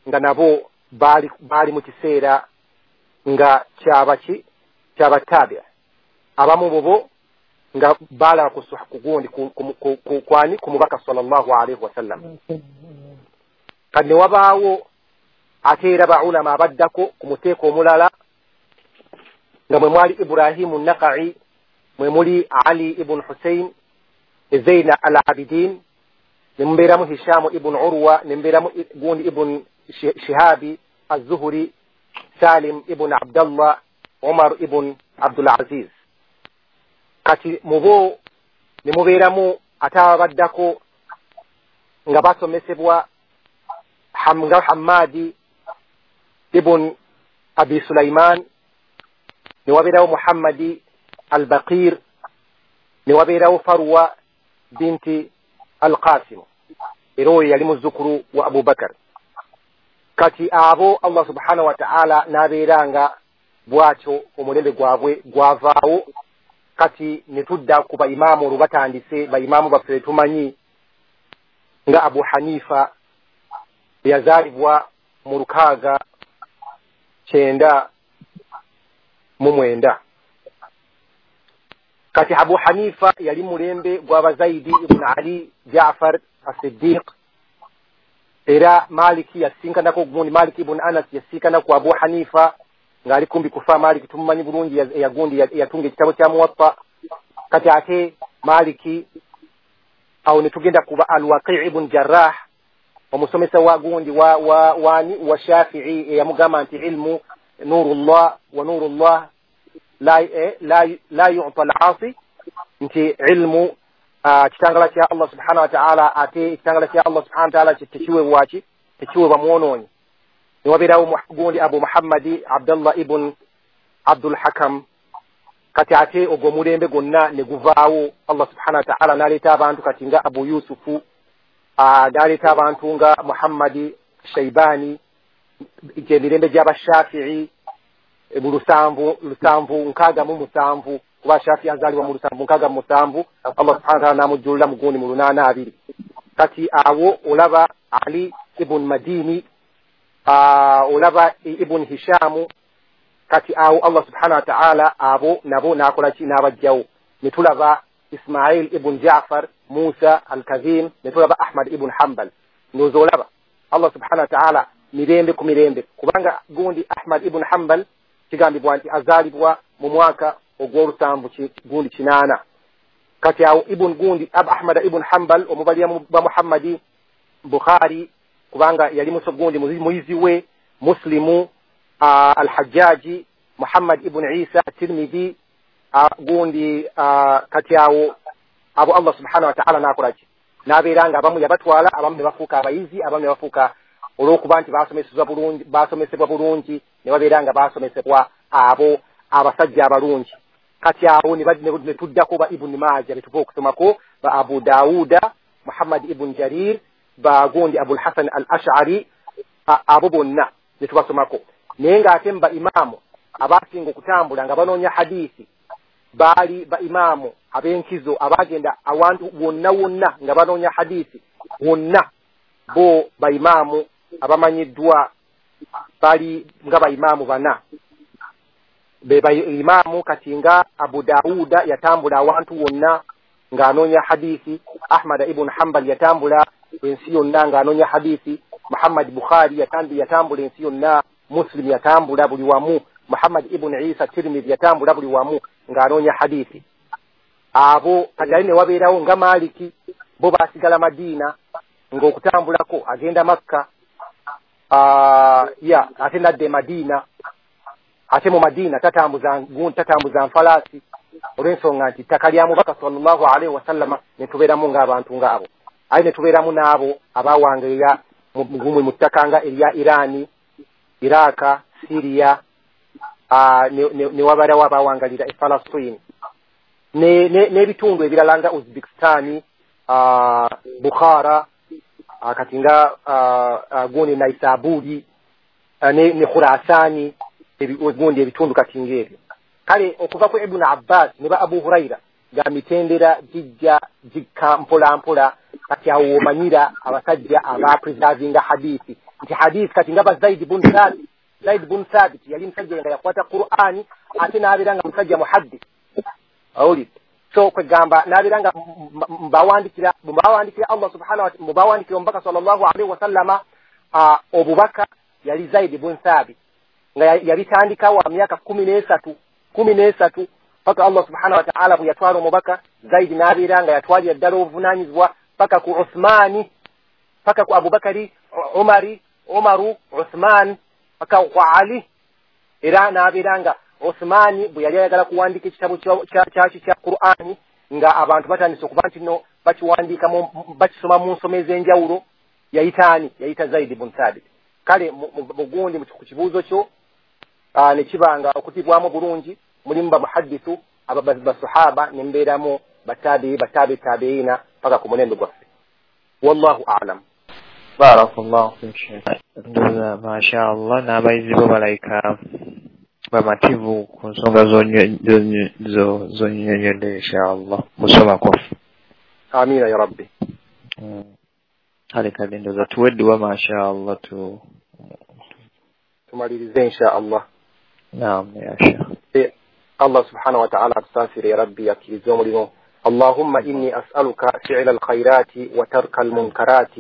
nga nabo baali baali mu kiseera nga kyabaki kyabatabia. Abamu bobo nga bala ku gundi kwani ku Mubaka sallallahu alaihi wasallam. Kati ne wabaawo ate era baulama abaddako ku muteeko omulala, nga mwe mwali Ibrahimu Naka'i, mwe muli Ali ibn Hussein, Zaina al-Abidin, ne mubeeramu Hishamu ibn Urwa, ne mubeeramu gundi ibn Shihabi az-Zuhri, Salim ibn Abdallah, Umar ibn Abdul Aziz. Kati mubo ne mubeeramu ate abaddako nga basomesebwa nga Hammadi ibn Abi Sulaiman, ne wabeerawo Muhammadi al-Baqir, ne wabeerawo Farwa binti al-Qasim, era oyo yali muzzukulu wa Abu Bakar. Kati abo Allah subhanahu wa ta'ala n'abeera nga bw'atyo omulembe gwabwe gwavaawo. Kati ne tudda ku baimaamu olwo batandise baimaamu baffe tumanyi nga Abu Hanifa yazaalibwa mu lukaaga kyenda mu mwenda. Kati Abu Hanifa yali mulembe gw'Abazaidi ibn Ali Jaafar as-Siddiq, era Maliki yasinkanako gundi, Maliki ibn Anas yasinkanako Abu Hanifa ng'ali kumbi kufa. Maliki tumumanyi bulungi, yagundi yatunga ekitabo kya Muwatta. Kati ate Maliki awo ne tugenda kuba Al-Waqi' ibn Jarrah, omusomesa wa gundi wa wa wani wa Shafi'i, eyamugamba nti ilmu nurullah wa nurullah la la la yu'ta al-'asi, nti ilmu kitangala kya Allah subhanahu wa ta'ala, ate kitangala kya Allah subhanahu wa ta'ala tekiweebwa ki tekiweebwa mwonoonyi. Newabeerawo gundi Abu Muhammadi Abdallah ibn Abdul Hakam. Kati ate ogwo omulembe gwonna ne guvaawo, Allah subhanahu wa ta'ala n'aleeta abantu kati nga Abu Yusufu, n'aleeta abantu nga Muhammadi Shaibani, gyemirembe gy'Abashafi'i mu lusanvu lusanvu nkaaga mu musanvu, kuba Shafi'i azaalibwa mu lusanvu nkaaga mu musanvu, Allah subhanahu wa ta'ala n'amujjulula mu gundi mu lunaana abiri. Kati awo olaba Ali ibn Madini, olaba ibn Hishamu. Kati awo Allah subhanahu wa ta'ala abo nabo n'akola ki? N'abajjawo. Ne tulaba Ismail ibn Ja'far, Musa al-Kazim, ne tulaba Ahmad ibn Hanbal. Ndowooza olaba Allah subhanahu wa ta'ala mirembe ku mirembe, kubanga gundi Ahmad ibn Hanbal kigambibwa nti azaalibwa mu mwaka ogw'olusanvu gundi kinaana. Kati awo ibn gundi Ahmad ibn Hanbal omubalira ba Muhammadi Bukhari, kubanga yali muso gundi muyizi we, Muslimu, Al-Hajjaji, Muhammad ibn Isa Tirmidhi, gundi. Kati awo abo Allah subhanahu wa ta'ala n'akola ki? N'abeera nga abamu yabatwala, abamu ne bafuuka abayizi, abamu ne bafuuka olw'okuba nti baasomesebwa bulungi, baasomesebwa bulungi ne babeera nga baasomesebwa abo abasajja abalungi. Kati awo ne tuddako ba Ibn Majah betuva okusomako, ba Abu Dawuda, Muhammad ibn Jarir, ba gundi Abul Hasan al-Ash'ari, abo bonna ne tubasomako. Naye ng'ate mu ba imaamu abasinga okutambula nga banoonya hadiisi baali ba imaamu ab'enkizo abagenda awantu wonna wonna nga banoonya hadiisi wonna, bo ba imaamu abamanyiddwa bali nga ba imaamu bana. Be ba imaamu kati nga Abu Dawuda yatambula awantu wonna ng'anoonya hadiisi, Ahmad ibn Hanbal yatambula ensi yonna ng'anoonya hadiisi, Muhammad Bukhari yatambula ensi yonna, Muslim yatambula buli wamu, Muhammad ibn Isa Tirmidhi yatambula buli wamu ng'anoonya hadiisi. Abo kati ali ne wabeerawo nga Maliki, bo baasigala Madiina ng'okutambulako agenda Makka, ya ate nadda e Madiina. Ate mu Madiina tatambuza tatambuza nfalaasi olw'ensonga nti ttaka lya Mubaka sallallahu alaihi wasallama, ne tubeeramu ng'abantu ng'abo. Aye ne tubeeramu n'abo abawangirira mu ttaka nga erya Irani, Iraka, Syria, ne wabeerawo abawangalira e Palestine n'ebitundu ebirala nga Uzbekistan, Bukhara, kati nga gundi Naisaburi ne Khurasani, gundi ebitundu kati ng'ebyo. Kale okuva ku Ibn Abbas ne ba Abu Huraira ga mitendera gijja gikka mpola mpola. Kati awo omanyira abasajja aba preservinga hadithi nti hadithi kati nga ba Zaid ibn Thabit. Zaid ibn Thabit yali musajja nga yakwata Qur'ani ate n'abeera nga musajja muhaddith awuli. So kwegamba n'abeera nga mbawandikira mbawandikira Allah subhanahu wa ta'ala, mbawandikira omubaka sallallahu alaihi wasallama obubaka yali Zaid ibn Thabit nga yabitandika wa myaka kumi n'esatu kumi n'esatu paka Allah subhanahu wa ta'ala bwe yatwala omubaka. Zaid n'abeera nga yatwalira ddala obuvunaanyizibwa paka ku Uthmani, paka ku Abubakari, Umari, Umaru, Uthman, paka ku Ali. Era n'abeera nga Uthmani bwe yali ayagala kuwandiika ekitabo kyaki kya Qur'ani nga abantu batandise okuba nti no bakiwandiika bakisoma mu nsoma ez'enjawulo, yayita ani? Yayita Zaid ibn Thabit. Kale mugundi ku kibuuzo kyo ne kiba nga okutibwamu bulungi mulimu ba muhaddithu aba basahaba ne mbeeramu batabi batabi tabiina paka ku mulembe gwaffe. Wallahu a'lam. Barakallahu fik Sheikh. Ndowooza masha Allah n'abayizi bo balayika bamativu ku nsonga zonnyonnyodde insha Allah musoma kwaffe. Amina ya Rabbi. Kale kale ndowooza tuweddiwa masha Allah tu tumalirize insha Allah. Naam ya Sheikh. Allah subhanahu wa ta'ala atusaasire ya Rabbi, akkirize omulimu. اللهم إني أسألك فعل الخيرات وترك المنكرات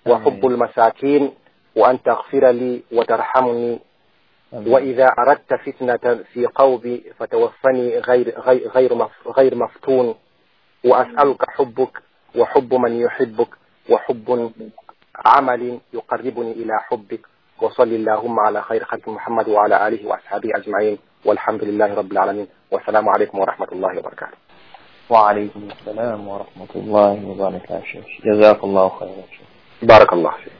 وحب المساكين وأن تغفر لي وترحمني، وإذا أردت فتنة في قومي فتوفني غير غير غير غير مفتون، وأسألك حبك وحب من يحبك وحب عمل يقربني إلى حبك، وصل اللهم على خير خلق محمد وعلى آله وأصحابه أجمعين، والحمد لله رب العالمين، والسلام عليكم ورحمة الله وبركاته. وعليكم السلام ورحمة الله وبركاته. جزاك الله خيرا. بارك الله فيك.